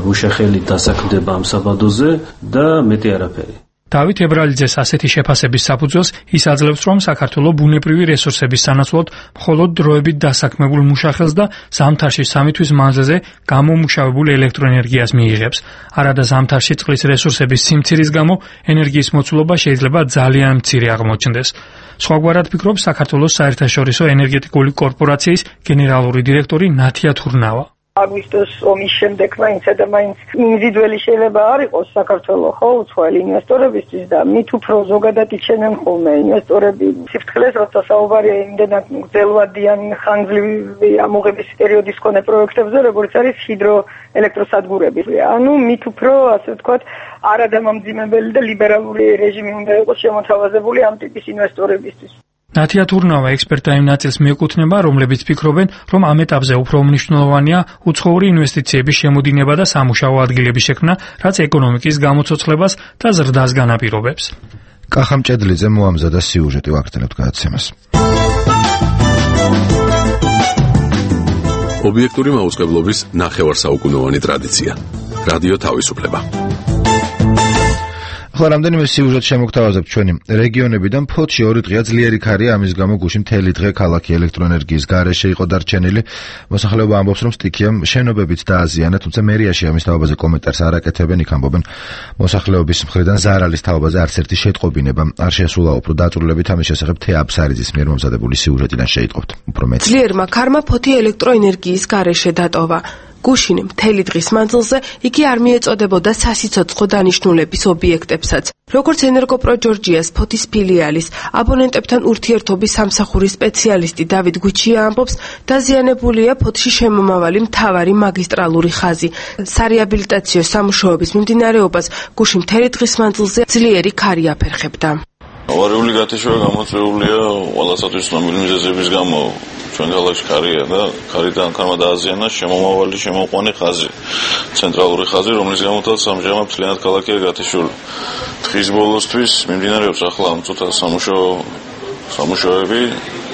მუშახელით დასაქმდება ამ საბადოზე და მეტი არაფერი. დავით ებრალიძეს ასეთი შეფასების საფუძველს ის აძლევს, რომ საქართველო ბუნებრივი რესურსების სანაცვლოდ მხოლოდ დროებით დასაქმებულ მუშახელს და ზამთარში 3 თვის მანძილზე გამომუშავებულ ელექტროენერგიას მიიღებს. არადა ზამთარში წყლის რესურსების სიმცირის გამო ენერგიის მოცულობა შეიძლება ძალიან მცირე აღმოჩნდეს. სხვაგვარად ფიქრობს საქართველოს საერთაშორისო ენერგეტიკული კორპორაციის გენერალური დირექტორი ნათია თურნავა. აგვისტოს ომის შემდეგ მაინც ინდივიდუალი შეიძლება არ იყოს საქართველოს ხო უცხოელი ინვესტორებისთვის და მით უფრო ზოგადად იჩენენ ხოლმე ინვესტორები სიფრთხილეს, როცა საუბარია იმდენად გრძელვადიან ხანგრძლივი ამოღების პერიოდის მქონე პროექტებზე, როგორც არის ჰიდროელექტროსადგურები. ანუ მით უფრო, ასე ვთქვათ, არადამამძიმებელი და ლიბერალური რეჟიმი უნდა იყოს შემოთავაზებული ამ ტიპის ინვესტორებისთვის. ნათია თურნავა ექსპერტთა იმ ნაწილს მიეკუთვნება, რომლებიც ფიქრობენ, რომ ამ ეტაპზე უფრო მნიშვნელოვანია უცხოური ინვესტიციების შემოდინება და სამუშაო ადგილების შექმნა, რაც ეკონომიკის გამოცოცხლებას და ზრდას განაპირობებს. კახამ ჭედლიძე მოამზადა სიუჟეტი, ვაგრძელებთ გადაცემას. ობიექტური მაუწყებლობის ნახევარსაუკუნოვანი ტრადიცია. რადიო თავისუფლება. ახლა რამდენიმე სიუჟეტ შემოგთავაზებთ ჩვენი რეგიონებიდან. ფოთში 2 დღეა ძლიერი ქარია, ამის გამო გუშინ მთელი დღე ქალაქი ელექტროენერგიის გარეშე იყო დარჩენილი. მოსახლეობა ამბობს, რომ სტიქიამ შენობებით დააზიანა, თუმცა მერიაში ამის თაობაზე კომენტარს არ აკეთებენ. იქ ამბობენ, მოსახლეობის მხრიდან ზარალის თაობაზე არც ერთი შეტყობინება არ შესულა. უფრო დაწვრილებით ამის შესახებ თეა აბსარიძის მიერ მომზადებული სიუჟეტიდან შეიტყობთ უფრო მეტი. ძლიერმა ქარმა ფოთი ელექტროენერგიის გარეშე დატოვა. გუშინ მთელი დღის მანძილზე იგი არ მიეწოდებოდა სასიცოცხლო დანიშნულების ობიექტებსაც. როგორც ენერგოპრო ჯორჯიას ფოთის ფილიალის აბონენტებთან ურთიერთობის სამსახურის სპეციალისტი დავით გუჩია ამბობს, დაზიანებულია ფოთში შემომავალი მთავარი მაგისტრალური ხაზი. სარეაბილიტაციო სამუშაოების მიმდინარეობას გუშინ მთელი დღის მანძილზე ძლიერი ქარი აფერხებდა. ავარიული გათიშვა გამოწვეულია ყველასათვის ცნობილი მიზეზების გამო. ჩვენ ქალაქში ქარია და ქარიდან ქარმა დააზიანა შემომავალი შემოყვანი ხაზი, ცენტრალური ხაზი, რომლის გამოდაც ამჟამად მთლიანად ქალაქია გათიშული. დღის ბოლოსთვის მიმდინარეობს ახლა ამ წუთას სამუშაოები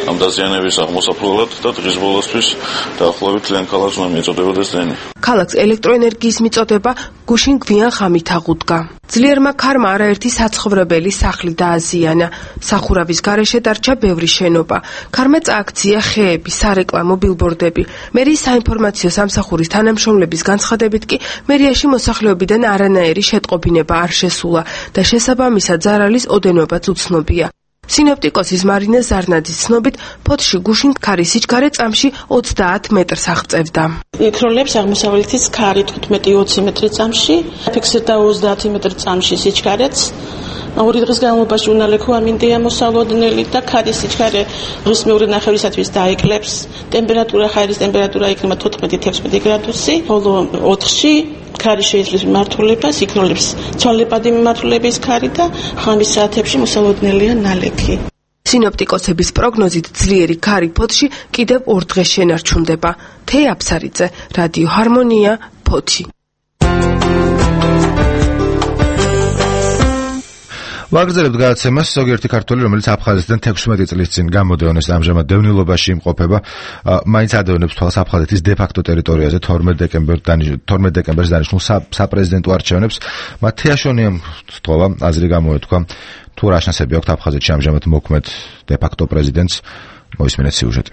ამ დაზიანების აღმოსაფლელად და დღის ბოლოსთვის დაახლოებით ლენ ქალაქს უნდა მიეწოდებოდეს დენი. ქალაქს ელექტროენერგიის მიწოდება გუშინ გვიან ღამით აღუდგა. ძლიერმა ქარმა არაერთი საცხოვრებელი სახლი დააზიანა. სახურავის გარეშე დარჩა ბევრი შენობა. ქარმა წააქცია ხეები, სარეკლამო ბილბორდები. მერიის საინფორმაციო სამსახურის თანამშრომლების განცხადებით კი მერიაში მოსახლეობიდან არანაირი შეტყობინება არ შესულა და შესაბამისად ზარალის ოდენობაც უცნობია. სინოპტიკოსის მარინა ზარნაძის ცნობით, ფოთში გუშინ ქარის სიჩქარე წამში 30 მეტრს აღწევდა. იქროლებს აღმოსავლეთის ქარი 15-20 მეტრი წამში, ფიქსირდა 30 მეტრი წამში სიჩქარეც. ორი დღის განმავლობაში უნალექო ამინდია მოსალოდნელი და ქარის სიჩქარე დღის მეორე ნახევრისათვის დაეკლებს. ტემპერატურა, ჰაერის ტემპერატურა იქნება 14-16 გრადუსი, ხოლო 4-ში ქარი შეძლებს მიმართულებას, იქროლებს ცვალებადი მიმართულების ქარი და ხამის საათებში მოსალოდნელია ნალექი. სინოპტიკოსების პროგნოზით ძლიერი ქარი ფოთში კიდევ 2 დღეს შენარჩუნდება. თეი აფსარიძე, რადიო ჰარმონია, ფოთი. ვაგრძელებთ გადაცემას. ზოგიერთი ქართველი, რომელიც აფხაზეთიდან 16 წლის წინ გამოდევნეს, ამჟამად დევნილობაში იმყოფება, მაინც ადევნებს თვალს აფხაზეთის დე-ფაქტო ტერიტორიაზე 12 დეკემბერს დანიშნულ საპრეზიდენტო არჩევნებს. მათ თეაშონიამ თხოვა, აზრი გამოეთქვა, თუ რა შანსები აქვს აფხაზეთში ამჟამად მოქმედ დე-ფაქტო პრეზიდენტს. მოისმინეთ სიუჟეტი.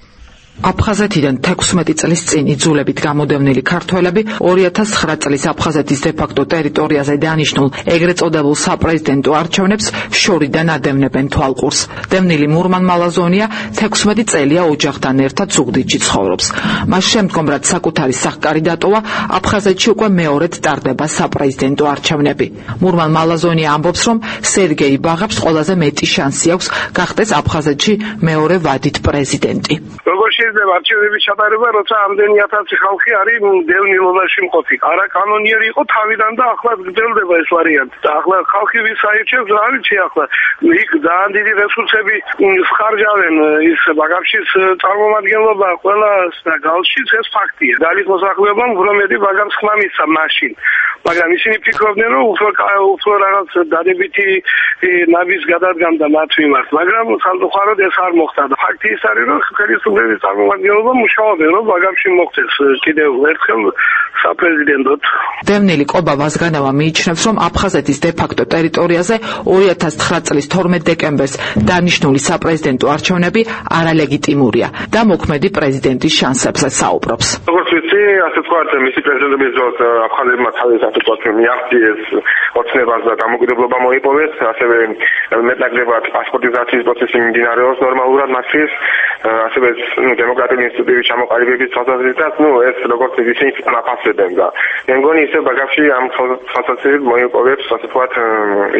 აფხაზეთიდან 16 წლის წინ იძულებით გამოდევნილი ქართველები 2009 წლის აფხაზეთის დე-ფაქტო ტერიტორიაზე დანიშნულ ეგრეთ წოდებულ საპრეზიდენტო არჩევნებს შორიდან ადევნებენ თვალყურს. დევნილი მურმან მალაზონია 16 წელია ოჯახთან ერთად ზუგდიდში ცხოვრობს. მას შემდგომ, რაც საკუთარი სახკარი დატოვა, აფხაზეთში უკვე მეორედ ტარდება საპრეზიდენტო არჩევნები. მურმან მალაზონია ამბობს, რომ სერგეი ბაღებს ყველაზე მეტი შანსი აქვს გახდეს აფხაზეთში მეორე ვადით პრეზიდენტი. შეიძლება არჩევნების ჩატარება, როცა ამდენი 1000 ხალხი არის დევნილობაში მყოფი. არა კანონიერი იყო თავიდან და ახლა გრძელდება ეს ვარიანტი. და ახლა ხალხი ვის აირჩევს, რა ვიცი ახლა. იქ ძალიან დიდი რესურსები ხარჯავენ ის ბაგაფშის წარმომადგენლობა ყველას და გალშიც ეს ფაქტია. დალი მოსახლეობამ უფრო მეტი ბაგამს ხმა მისცა მაშინ. მაგრამ ისინი ფიქრობდნენ, რომ უფრო რაღაც დადებითი ნაბის გადადგამდა მათ მიმართ. მაგრამ სამწუხაროდ ეს არ მოხდა. ფაქტი ის არის, რომ ხელისუფლების წარმომადგენლობა მუშაობენ, რომ ბაგამში მოხდეს კიდევ ერთხელ საპრეზიდენტოდ. დევნილი კობა ვაზგანავა მიიჩნევს, რომ აფხაზეთის დე-ფაქტო ტერიტორიაზე 2009 წლის 12 დეკემბერს დანიშნული საპრეზიდენტო არჩევნები არალეგიტიმურია და მოქმედი პრეზიდენტის შანსებზე საუბრობს. როგორც ვიცი, ასე ვთქვათ, მისი პრეზიდენტობის დროს აფხაზებმა თავის ასე ვთქვათ მიაღწიეს ოცნებას და დამოუკიდებლობა მოიპოვეს, ასევე მეტნაკლებად პასპორტიზაციის პროცესი მიმდინარეობს ნორმალურად მათთვის, ასევე დემოკრატიული ინსტიტუტების ჩამოყალიბების თვალსაზრისით, ეს როგორც ისინი აფასებენ და მე მგონი ისე ბაგაფში ამ თვალსაზრისით მოიპოვებს ასე ვთქვათ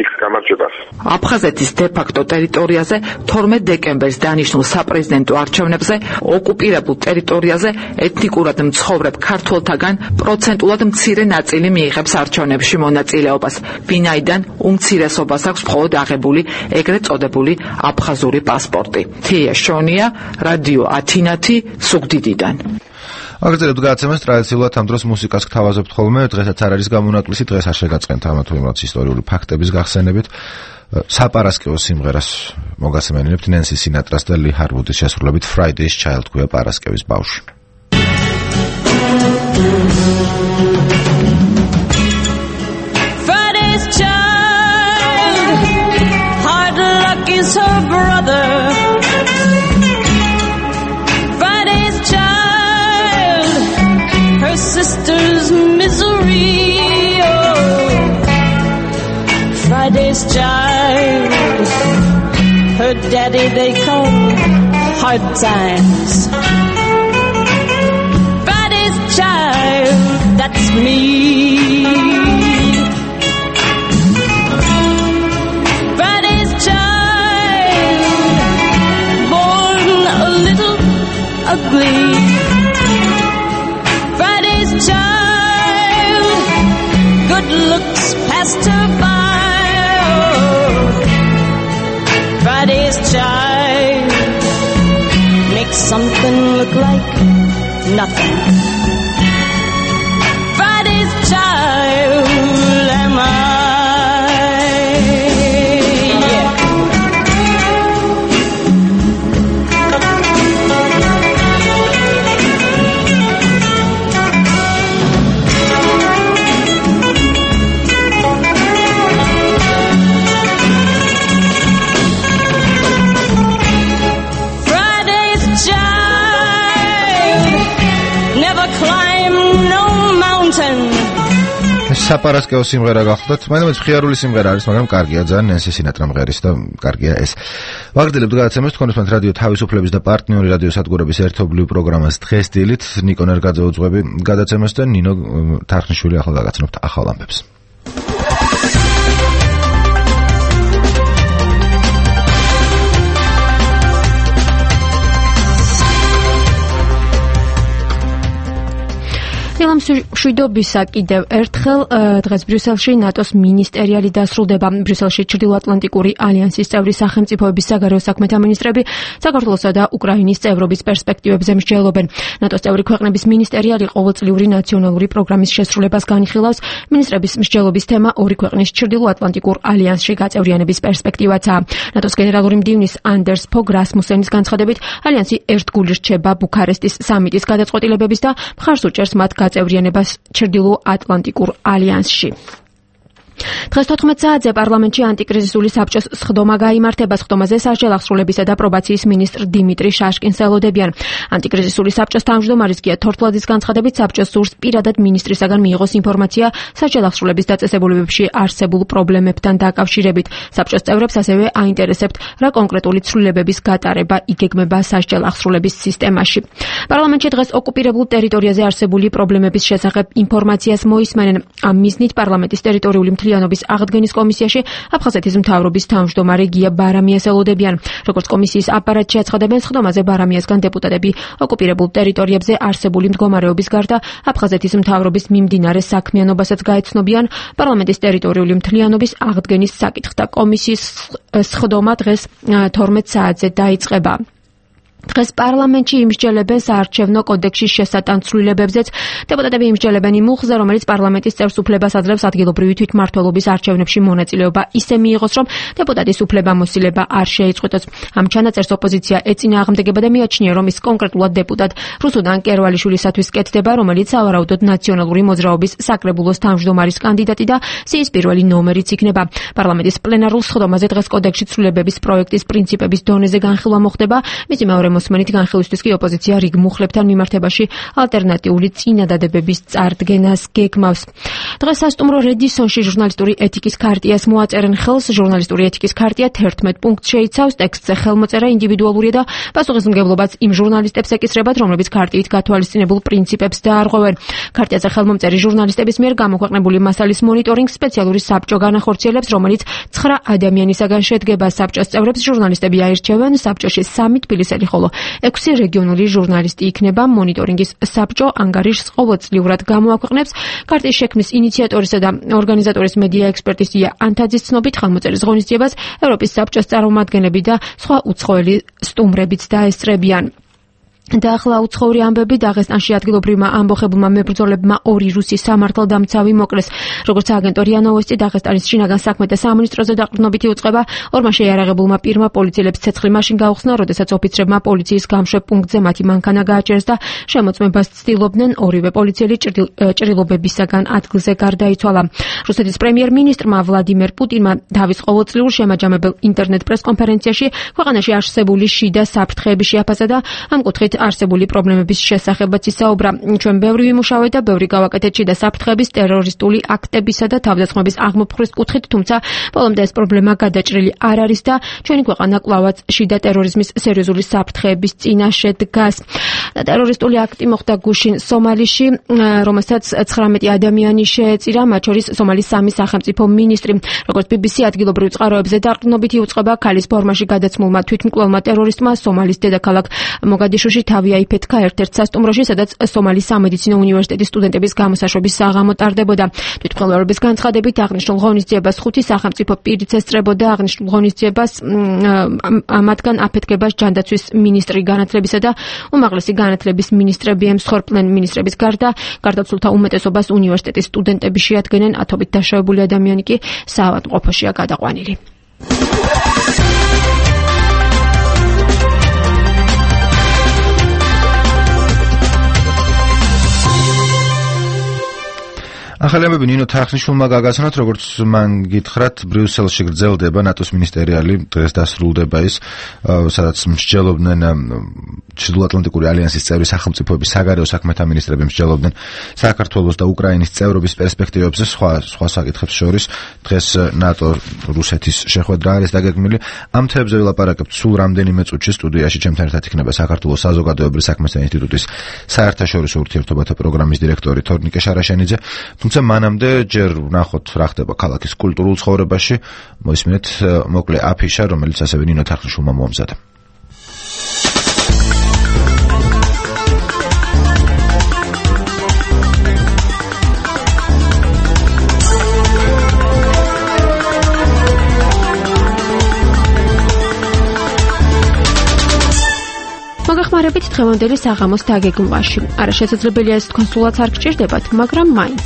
იქ გამარჯვებას. აფხაზეთის დე-ფაქტო ტერიტორიაზე 12 დეკემბერს დანიშნულ საპრეზიდენტო არჩევნებზე ოკუპირებულ ტერიტორიაზე ეთნიკურად მცხოვრებ ქართველთაგან პროცენტულად მცირე ნაწილი მიიღებს არჩევნებში მონაწილეობას, ვინაიდან უმცირესობას აქვს მხოლოდ აღებული ეგრეთ წოდებული აფხაზური პასპორტი. თია შონია, რადიო ათინათი, ზუგდიდიდან. აგრძელებთ გადაცემას. ტრადიციულად ამ დროს მუსიკას გთავაზობთ ხოლმე. დღესაც არ არის გამონაკლისი, დღეს არ შეგაწყენთ ამა თუ იმ რაც ისტორიული ფაქტების გახსენებით. საპარასკევო სიმღერას მოგასმენინებთ ნენსი სინატრას და ალი ჰარვუდის შესრულებით Friday's Child ქვია პარასკევის ბავშვი. Friday's child, hard luck is her brother. Friday's child, her sister's misery. Oh, Friday's child, her daddy they call hard times. Friday's child, that's me. Friday's child, born a little ugly. Friday's child, good looks passed her by. Oh, Friday's child makes something look like nothing. Friday's child am I. Yeah. საპარასკევო სიმღერა გახლდათ. მაინც მხიარული სიმღერა არის, მაგრამ კარგია ძალიან, ნენსი სინატრა მღერის და კარგია ეს. ვაგრძელებთ გადაცემას თქვენთან რადიო თავისუფლების და პარტნიორი რადიო სადგურების ერთობლივ პროგრამას დღესდილით ნიკო ნერგაძე უძღვები გადაცემას და ნინო თარხნიშვილი ახლა გაგაცნობთ ახალ ამბებს. მშვიდობისა კიდევ ერთხელ დღეს ბრიუსელში ნატოს მინისტერიალი დასრულდება. ბრიუსელში ჩრდილოატლანტიკური ალიანსის წევრი სახელმწიფოების საგარეო საქმეთა მინისტრები საქართველოსა და უკრაინის წევრობის პერსპექტივებზე მსჯელობენ. ნატოს წევრი ქვეყნების მინისტერიალი ყოველწლიური ნაციონალური პროგრამის შესრულებას განიხილავს. მინისტრების მსჯელობის თემა ორი ქვეყნის ჩრდილოატლანტიკურ ალიანსში გაწევრიანების პერსპექტივაცაა. ნატოს გენერალური მდივნის ანდერს ფოგ რასმუსენის განცხადებით, ალიანსი ერთგული რჩება ბუქარესტის სამიტის გადაწყვეტილებების და მხარს უჭერს მათ გაწევრიანებას ჩრდილო-ატლანტიკურ ალიანსში. დღეს 14 საათზე პარლამენტში ანტიკრიზისული საბჭოს სხდომა გაიმართება. სხდომაზე სასჯელ აღსრულებისა და პრობაციის მინისტრ დიმიტრი შაშკინს ელოდებიან. ანტიკრიზისული საბჭოს თავმჯდომარის გია თორთლაძის განცხადებით, საბჭოს სურს პირადად მინისტრისაგან მიიღოს ინფორმაცია სასჯელ აღსრულების დაწესებულებებში არსებულ პრობლემებთან დაკავშირებით. საბჭოს წევრებს ასევე აინტერესებთ, რა კონკრეტული ცვლილებების გატარება იგეგმება სასჯელ აღსრულების სისტემაში. პარლამენტში დღეს ოკუპირებულ ტერიტორიაზე არსებული პრობლემების შესახებ ინფორმაციას მოისმენენ. ამ მიზნით პარლამენტის ტერიტორიული მთლიანობის აღდგენის კომისიაში აფხაზეთის მთავრობის თავმჯდომარე გია ბარამიას ელოდებიან. როგორც კომისიის აპარატში აცხადებენ, სხდომაზე ბარამიასგან დეპუტატები ოკუპირებულ ტერიტორიებზე არსებული მდგომარეობის გარდა აფხაზეთის მთავრობის მიმდინარე საქმიანობასაც გაეცნობიან. პარლამენტის ტერიტორიული მთლიანობის აღდგენის საკითხთა კომისიის სხდომა დღეს 12 საათზე დაიწყება. დღეს პარლამენტში იმსჯელებენ საარჩევნო კოდექსის შესატან ცვლილებებზეც. დეპუტატები იმსჯელებენ იმ მუხლზე, რომელიც პარლამენტის წევრს უფლებას აძლევს ადგილობრივი თვითმმართველობის არჩევნებში მონაწილეობა ისე მიიღოს, რომ დეპუტატის უფლებამოსილება არ შეიწყვეტოს. ამ ჩანაწერს ოპოზიცია ეწინააღმდეგება და მიაჩნია, რომ ის კონკრეტულად დეპუტატ რუსუდან კერვალიშვილისათვის კეთდება, რომელიც სავარაუდოდ ნაციონალური მოძრაობის საკრებულოს თავმჯდომარის კანდიდატი და სიის პირველი ნომერიც იქნება. პარლამენტის პლენარულ სხდომაზე დღეს კოდექსში ცვლილებების პროექტის პრინციპების დონეზე განხილვა მოხდება. მისი მეორე მოსმენით განხილვისთვის კი ოპოზიცია რიგ მუხლებთან მიმართებაში ალტერნატიული წინადადებების წარდგენას გეგმავს. დღეს სასტუმრო რედისონში ჟურნალისტური ეთიკის ქარტიას მოაწერენ ხელს. ჟურნალისტური ეთიკის ქარტია 11 პუნქტს შეიცავს. ტექსტზე ხელმოწერა ინდივიდუალურია და პასუხისმგებლობაც იმ ჟურნალისტებს ეკისრებათ, რომლებიც ქარტიით გათვალისწინებულ პრინციპებს დაარღვევენ. ქარტიაზე ხელმომწერი ჟურნალისტების მიერ გამოქვეყნებული მასალის მონიტორინგს სპეციალური საბჭო განახორციელებს, რომელიც 9 ადამიანისაგან შედგება. საბჭოს წევრებს ჟურნალისტები აირჩევენ. საბჭოში 3 თბილისელი, ხოლო 6 რეგიონული ჟურნალისტი იქნება. მონიტორინგის საბჭო ანგარიშს ყოველწლიურად გამოაქვეყნებს. ქარტიის შექმნის ინიციატორისა და ორგანიზატორის მედია ექსპერტის ია ანთაძის ცნობით, ხელმოწერის ღონისძიებას ევროპის საბჭოს წარმომადგენლები და სხვა უცხოელი სტუმრებიც დაესწრებიან. და ახლა უცხოური ამბები. დაღესტანში ადგილობრივმა ამბოხებულმა მებრძოლებმა 2 რუსი სამართალდამცავი მოკლეს. როგორც აგენტო რია ნოვოსტი, დაღესტანის შინაგან საქმეთა სამინისტროზე დაყრდნობითი უწყება ორმა შეიარაღებულმა პირმა პოლიციელებს ცეცხლი მაშინ გაუხსნა, როდესაც ოფიცრებმა პოლიციის გამშვებ პუნქტზე მათი მანქანა გააჭერეს და შემოწმებას ცდილობდნენ. ორივე პოლიციელი ჭრილობებისაგან ადგილზე გარდაიცვალა. რუსეთის პრემიერ-მინისტრმა ვლადიმერ პუტინმა თავის ყოველწლიურ შემაჯამებელ ინტერნეტ პრესკონფერენციაში ქვეყანაში არსებული შიდა საფრთხეები შეაფასა და ამ კუთხით არსებული პრობლემების შესახებაც ისაუბრა. ჩვენ ბევრი ვიმუშავეთ და ბევრი გავაკეთეთ შიდა საფრთხეების, ტერორისტული აქტებისა და თავდასხმების აღმოფხვრის კუთხით, თუმცა ბოლომდე ეს პრობლემა გადაჭრილი არ არის და ჩვენი ქვეყანა კვლავაც შიდა ტერორიზმის სერიოზული საფრთხეების წინაშე დგას. ტერორისტული აქტი მოხდა გუშინ სომალიში, რომელსაც 19 ადამიანი შეეწირა, მათ შორის სომალის 3 სახელმწიფო მინისტრი. როგორც BBC ადგილობრივ წყაროებზე დაყრდნობითი უწყება ქალის ფორმაში გადაცმულმა თვითმკვლელმა ტერორისტმა სომალის დედაქალაქ მოგადიშუში თავი აიფეთქა ერთ-ერთ სასტუმროში, სადაც სომალის სამედიცინო უნივერსიტეტის სტუდენტების გამოსაშვების საღამო ტარდებოდა. თვითმკვლელობის განცხადებით აღნიშნულ ღონისძიებას 5 სახელმწიფო პირიც ესწრებოდა. აღნიშნულ ღონისძიებას მათგან აფეთქებას ჯანდაცვის მინისტრი განათლებისა და უმაღლესი განათლების მინისტრები ემსხვერპლენ. მინისტრების გარდა გარდაცვლილთა უმეტესობას უნივერსიტეტის სტუდენტები შეადგენენ, ათობით დაშავებული ადამიანი კი საავადმყოფოშია გადაყვანილი. ახალი ამბები ნინო თახნიშვილმა გაგაცნოთ, როგორც მან გითხრათ, ბრიუსელში გრძელდება ნატოს მინისტერიალი, დღეს დასრულდება ის, სადაც მსჯელობდნენ ჩრდილოატლანტიკური ალიანსის წევრი სახელმწიფოების საგარეო საქმეთა მინისტრები მსჯელობდნენ საქართველოს და უკრაინის წევრობის პერსპექტივებზე, სხვა საკითხებს შორის. დღეს ნატო-რუსეთის შეხვედრა არის დაგეგმილი. ამ თემებზე ვილაპარაკებთ სულ რამდენიმე წუთში. სტუდიაში ჩემთან ერთად იქნება საქართველოს საზოგადოებრივი საქმეთა ინსტიტუტის საერთაშორისო ურთიერთობათა პროგრამის დირექტორი თორნიკე შარაშენიძე. თუმცა მანამდე ჯერ ვნახოთ რა ხდება ქალაქის კულტურულ ცხოვრებაში. მოისმინეთ მოკლე აფიშა, რომელიც ასევე ნინო თახნიშვილმა მოამზადა. მოგეხმარებით დღევანდელი საღამოს დაგეგმვაში. არაშეცდრებელია ეს კონსულაც არ გჭირდებათ, მაგრამ მაინც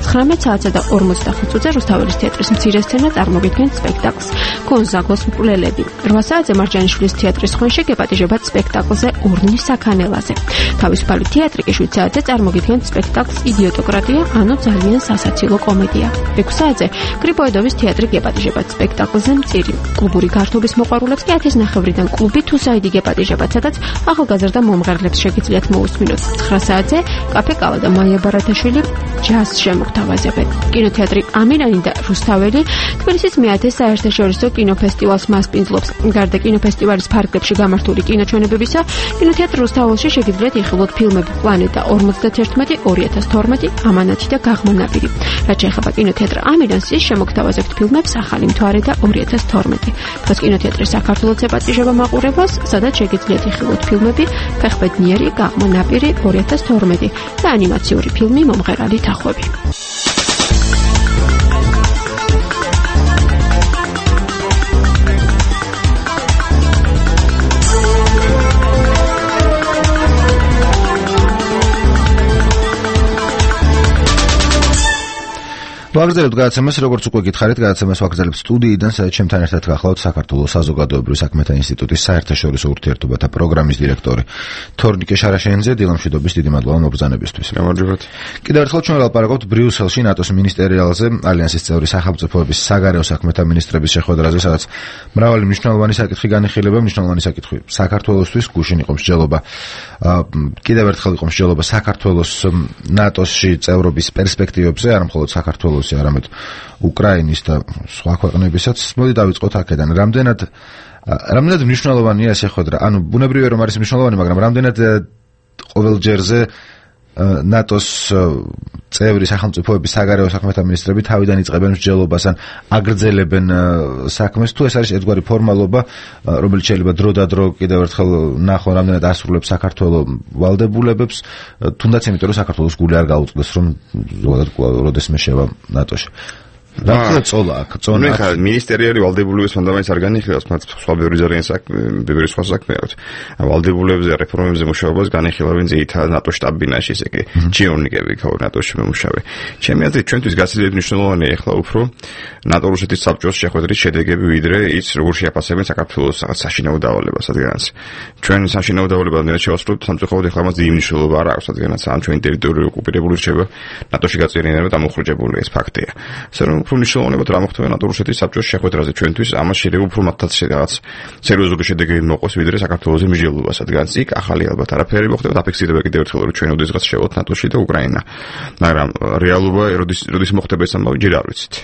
19 საათსა და 45 წუთზე რუსთაველის თეატრის მცირე სცენა წარმოგიდგენთ სპექტაკლს გონზაგოს მკვლელები. 8 საათზე მარჯანიშვილის თეატრის ხვენში გეპატიჟებათ სპექტაკლზე ურნის საქანელაზე. თავისუფალი თეატრი კი 7 საათზე წარმოგიდგენთ სპექტაკლს იდიოტოკრატია, ანუ ძალიან სასაცილო კომედია. 6 საათზე გრიბოედოვის თეატრი გეპატიჟებათ სპექტაკლზე მწირი. კლუბური გართობის მოყვარულებს კი 10:00-დან კლუბი თუსაიდი გეპატიჟებათ, სადაც ახალგაზრდა მომღერლებს შეგიძლიათ მოусმინოთ. 9 საათზე კაფე კალა და მაია ბარათაშვილი ჯაზს შემოგთავაზებენ. კინოთეატრი ამირანი და რუსთაველი თბილისის მე-10 საერთაშორისო კინოფესტივალს მასპინძლობს. გარდა კინოფესტივალის ფარგლებში გამართული კინოჩვენებებისა, კინოთეატრ რუსთაველში შეგიძლიათ იხილოთ ფილმები პლანეტა 51, 2012, ამანათი და გაღმა ნაპირი. რაც შეეხება კინოთეატრ ამირანს, ის შემოგთავაზებთ ფილმებს ახალი მთვარე და 2012. დღეს კინოთეატრი საქართველოს ეპატიჟება მაყურებელს, სადაც შეგიძლიათ იხილოთ ფილმები ფეხბედნიერი, გაღმა ნაპირი, 2012 და ანიმაციური ფილმი მომღერალი თახვები. ვაგრძელებთ გადაცემას, როგორც უკვე გითხარით, გადაცემას ვაგრძელებთ სტუდიიდან, სადაც ჩემთან ერთად გახლავთ საქართველოს საზოგადოებრივი საქმეთა ინსტიტუტის საერთაშორისო ურთიერთობათა პროგრამის დირექტორი თორნიკე შარაშენიძე. დილამშვიდობის, დიდი მადლობა მობრძანებისთვის. გამარჯობათ. კიდევ ერთხელ ჩვენ ვილაპარაკობთ ბრიუსელში ნატოს მინისტერიალზე, ალიანსის წევრი სახელმწიფოების საგარეო საქმეთა მინისტრების შეხვედრაზე, სადაც მრავალი მნიშვნელოვანი საკითხი განიხილება. მნიშვნელოვანი საკითხი საქართველოსთვის, გუშინ იყო მსჯელობა, კიდევ ერთხელ იყო მსჯელობა საქართველოს ნატოში წევრობის პერსპექტივებზე, არა მხოლოდ საქართველოს არამედ უკრაინის და სხვა ქვეყნებისაც. მოდი დავიწყოთ აქედან. რამდენად მნიშვნელოვანია შეხვედრა? ანუ ბუნებრივია რომ არის მნიშვნელოვანი, მაგრამ რამდენად ყოველჯერზე ნატოს წევრი სახელმწიფოების საგარეო საქმეთა მინისტრები თავიდან იწყებენ მსჯელობას ან აგრძელებენ საქმეს, თუ ეს არის ერთგვარი ფორმალობა, რომელიც შეიძლება დრო და დრო კიდევ ერთხელ ნახონ რამდენად ასრულებს საქართველოს ვალდებულებებს, თუნდაც იმიტომ რომ საქართველოს გული არ გაუწყდეს რომ ზოგადად როდესმე შევა ნატოში. რა წოლა აქ წონა ახლა მინისტერიალი ვალდებულების ფუნდამენტს არ განიხილავს, მათ სხვა ბევრი სხვა საქმე აქვს. ვალდებულებზე რეფორმებზე მუშაობას განიხილავენ ზეითად ნატო შტაბ-ბინაში, ესე იგი ჩიონიკები ხო ნატოში მომუშავე. ჩემი აზრით ჩვენთვის გაცილებით მნიშვნელოვანია ახლა უფრო ნატო-რუსეთის საბჭოს შეხვედრის შედეგები, ვიდრე ის როგორ შეაფასებენ საქართველოს რაღაც საშინაო დავალებას რადგანაც ჩვენ საშინაო დავალებას რამდენად შევასრულებთ, სამწუხაროდ ახლა მას დიდი მნიშვნელობა არ აქვს, რადგანაც ამ ჩვენი ტერიტორია ოკუპირებული რჩება, ნატოში გაწევრიანება დამოხრჯებული, ეს ფაქტია. უფრო მნიშვნელოვანია რა მოხდება ნატო-რუსეთის საბჭოს შეხვედრაზე ჩვენთვის, ამას შეიძლება უფრო მათაც რაღაც სერიოზული შედეგები მოყოს, ვიდრე საქართველოს მსჯელობას, რადგან იქ ახალი ალბათ არაფერი მოხდება, დაფიქსირდება კიდევ ერთხელ რომ ჩვენ ოდესღაც შევოთ ნატოში და უკრაინა. მაგრამ რეალობა როდის მოხდება ეს ამბავი ჯერ არ ვიცით.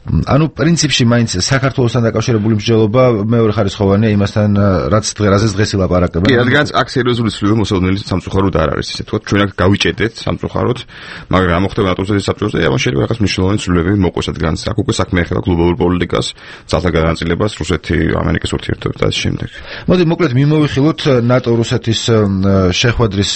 ანუ პრინციპში მაინც საქართველოსთან დაკავშირებული მსჯელობა მეორე ხარისხოვანია იმასთან, რაც დღეს ილაპარაკებენ. კი, რადგან აქ სერიოზული ცვლილება მოსალოდნელი სამწუხაროდ არ არის, ისე თქვა, ჩვენ აქ გავიჭედეთ სამწუხაროდ, მაგრამ რა მოხდება ნატოს საბჭოზე, ამას შეიძლება რაღაც მნიშვნელოვანი ცვლილებები მოყოს, რადგან აქ უკვე საქმე ეხება გლობალურ პოლიტიკას, ძალთა განაწილებას, რუსეთი, ამერიკის ურთიერთობებს და ამ შემდეგ. მოდი მოკლედ მიმოვიხილოთ ნატო-რუსეთის შეხვედრის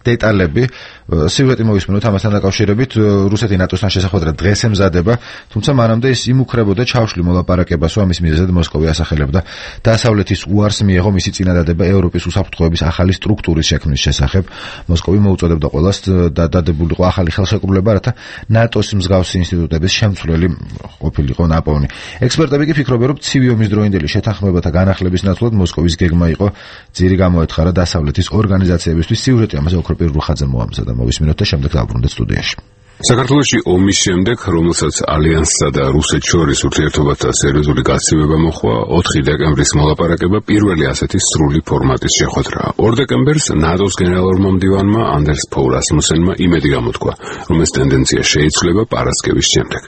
დეტალები. სიუჟეტი მოვისმინოთ ამასთან დაკავშირებით. რუსეთი ნატოსთან შესახვედრად დღეს ემზადება, თუმცა მანამდე ის იმუქრებოდა ჩავშლი მოლაპარაკებას, რომ ამის მიზეზად მოსკოვი ასახელებდა დასავლეთის უარს მიეღო მისი წინადადება ევროპის უსაფრთხოების ახალი სტრუქტურის შექმნის შესახებ. მოსკოვი მოუწოდებდა ყველას დადებულიყო ახალი ხელშეკრულება, რათა ნატოს მსგავსი ინსტიტუტების შემცვლელი ყოფილიყო ნაპოვნი. ექსპერტები კი ფიქრობენ, რომ ცივი ომის დროინდელი შეთანხმებათა განახლების ნაცვლად მოსკოვის გეგმა იყო ძირი გამოეთხარა დასავლეთის ორგანიზაციებისთვის. სიუჟეტი ამაზე ოქროპირ რუხაძე მოამზადა. მოვისმინოთ და შემდეგ დავბრუნდეთ სტუდიაში. საქართველოში ომის შემდეგ, რომელსაც ალიანსსა და რუსეთს შორის ურთიერთობათა სერიოზული გაცივება მოჰყვა, 4 დეკემბრის მოლაპარაკება პირველი ასეთი სრული ფორმატის შეხვედრაა. 2 დეკემბერს ნატოს გენერალურმა მდივანმა ანდერს ფოუ რასმუსენმა იმედი გამოთქვა, რომ ეს ტენდენცია შეიცვლება პარასკევის შემდეგ.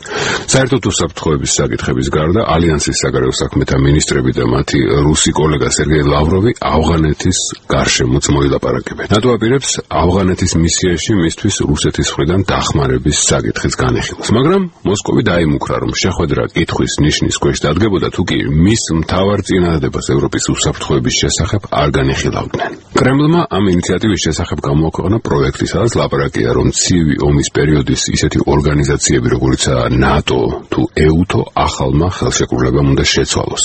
საერთოდ უსაფრთხოების საკითხების გარდა, ალიანსის საგარეო საქმეთა მინისტრები და მათი რუსი კოლეგა სერგეი ლავროვი ავღანეთის გარშემოც მოილაპარაკებენ. ნატო აპირებს ავღანეთის მისიაში მისთვის რუსეთის მხრიდან დახმარების საკითხის განეხილვას, მაგრამ მოსკოვი დაიმუქრა, რომ შეხვედრა კითხვის ნიშნის ქვეშ დადგებოდა, თუ კი მის მთავარ წინადადებას ევროპის უსაფრთხოების შესახებ არ განეხილავდნენ. კრემლმა ამ ინიციატივის შესახებ გამოაქვეყნა პროექტი, სადაც ლაპარაკია, რომ ცივი ომის პერიოდის ისეთი ორგანიზაციები, როგორიცაა ნატო თუ ეუთო, ახალმა ხელშეკრულებამ უნდა შეცვალოს.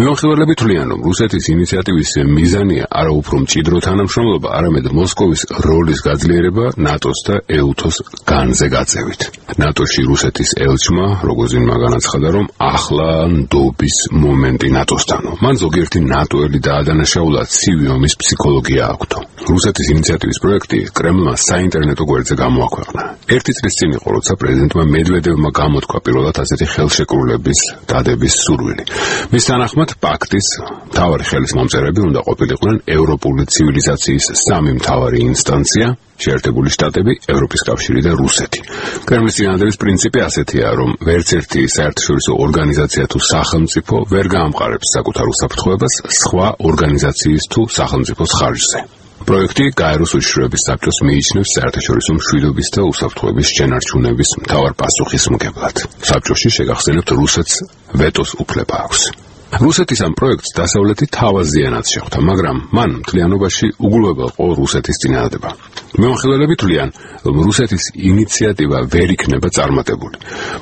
მიმოხილველები თვლიან, რომ რუსეთის ინიციატივის მიზანია არა უფრო მჭიდრო თანამშრომლობა, არამედ მოსკოვის როლის გაძლიერება ნატოს და ეუთოს განზე გაწევით. ნატოში რუსეთის ელჩმა როგოზინმა განაცხადა, რომ ახლა ნდობის მომენტი ნატოსთანო. მან ზოგიერთი ნატოელი დაადანაშაულა ცივი ომის ფსიქოლოგია აქვთო. რუსეთის ინიციატივის პროექტი კრემლმა საინტერნეტო გვერდზე გამოაქვეყნა. 1 წლის წინ იყო, როცა პრეზიდენტმა მედვედევმა გამოთქვა პირველად ასეთი ხელშეკრულების დადების სურვილი. მის თანახმად პაქტის მთავარი ხელისმომწერები უნდა ყოფილიყვნენ ევროპული ცივილიზაციის 3 მთავარი ინსტანცია: შეერთებული შტატები, ევროპის კავშირი და რუსეთი. კრემლის წინადადების პრინციპი ასეთია, რომ ვერც ერთი საერთაშორისო ორგანიზაცია თუ სახელმწიფო ვერ გაამყარებს საკუთარ უსაფრთხოებას სხვა ორგანიზაციის თუ სახელმწიფოს ხარჯზე. პროექტი გაეროს უშიშროების საბჭოს მიიჩნევს საერთაშორისო მშვიდობის და უსაფრთხოების შენარჩუნების მთავარ პასუხისმგებლად. საბჭოში შეგახსენებთ, რუსეთს ვეტოს უფლება აქვს. რუსეთის ამ პროექტს დასავლეთი თავაზიანად შეხვდა, მაგრამ მან მთლიანობაში უგულებელ ყო რუსეთის წინადადება. მიმოხილველები თვლიან, რომ რუსეთის ინიციატივა ვერ იქნება წარმატებული.